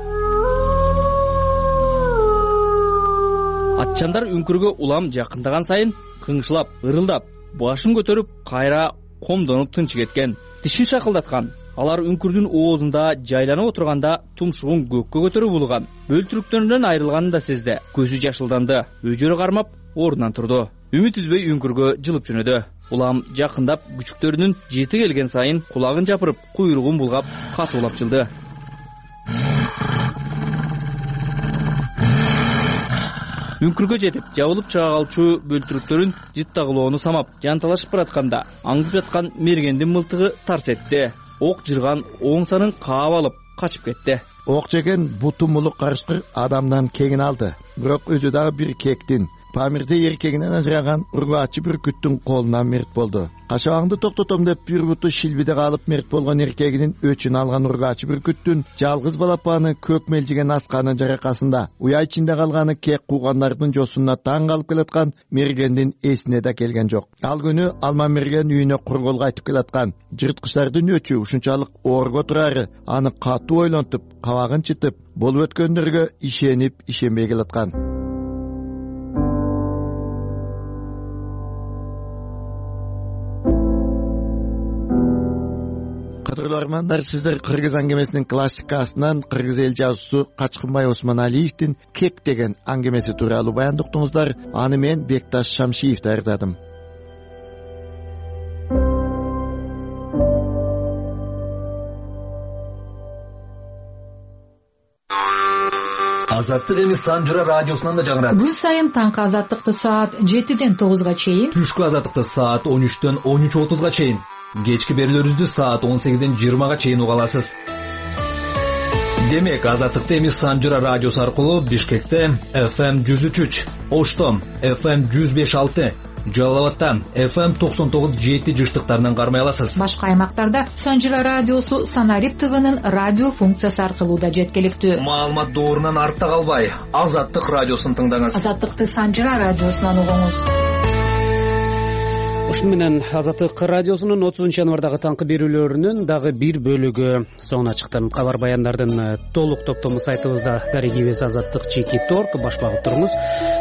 K: Атчандар үңкүргө улам жакындаган сайын кыңшылап, ырылдап, башын көтөрүп, кайра комдонуп тынчы кеткен. Тишин шакылдаткан. Алар үңкүрдүн оозунда жайланып отурганда тумшугун көккө көтөрүп улган. Бөлтүрүктөрүнөн айрылганын да сезди. Көзү жашылданды. Өжөрү кармап, ордунан турду. Үмүт үзбөй үңкүргө жылып жөнөдү. Улам жакындап, күчүктөрүнүн жети келген сайын кулагын жапырып, куйругун булгап, катуулап жылды. Үңкүргө жетип, жабылып чыга калчу бөлтүрүктөрүн жыттагылоону самап, жанталашып баратканда, аңдып жаткан мергендин мылтыгы тарс этти. Ок жырган оң санын каап алып, качып кетти.
J: Ок жеген буту мулук карышкыр адамдан кеңин алды. Бирок өзү дагы бир кектин, Памирде эркегинен ажыраган ургачы бүркүттүн колунан мерт болду. Кашабаңды токтотом деп бир буту шилбиде калып мерт болгон эркегинин өчүн алган ургачы бүркүттүн жалгыз балапаны көк мелжиген асканын жаракасында уя ичинде калганы кек куугандардын жосуна таң калып келаткан мергендин эсине да келген жок. Ал күнү Алман мерген үйүнө кургол кайтып келаткан. Жырткычтардын өчү ушунчалык оорго турары аны катуу ойлонтуп, кабагын чытып, болуп өткөндөргө ишенип, ишенбей келаткан. Кадырлармандар, сиздер Кыргыз аңгемесинин классикасынан кыргыз эл жазуусу Качкынбай Осмоналиевдин Кек деген аңгемеси тууралуу баянды уктуңуздар. Аны мен Бекташ Шамшиев даярдадым.
Q: Азаттык эми Санжыра радиосунан да жаңырат.
H: Күн сайын таңкы азаттыкты саат 7ден 9га чейин,
Q: түшкү азаттыкты саат 13дөн 13:30га чейин, кечки берүүлөрүбүздү саат 18ден 20га чейин уга аласыз. Демек, азаттыкты эми Санжыра радиосу аркылуу Бишкекте FM 103, Ошто FM 105.6, Жалал Абадта FM 99.7 жыштыктарынан кармай аласыз.
H: Башка аймактарда Санжыра радиосу Санарип ТВнын радио функциясы аркылуу да жеткиликтүү.
Q: Маалымат доорунан артта калбай, Азаттык радиосун тыңдаңыз.
H: Азаттыкты Санжыра радиосунан угуңуз.
A: Ушуну менен Азаттык радиосунун 30-январдагы таңкы берүүлөрүнүн дагы бир бөлүгү соңуна чыкты. Кабар баяндардын толук топтому сайтыбызда дарегибиз azattik.org баш багып туруңуз.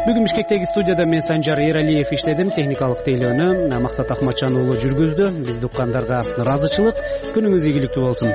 A: Бүгүн Бишкектеги студияда мен Санжар Эралиев иштедим, техникалык тейлөөнү Максат Акматжан уулу жүргүздү. Бизди уккандарга ыраазычылык, күнүңүз ийгиликтүү болсун.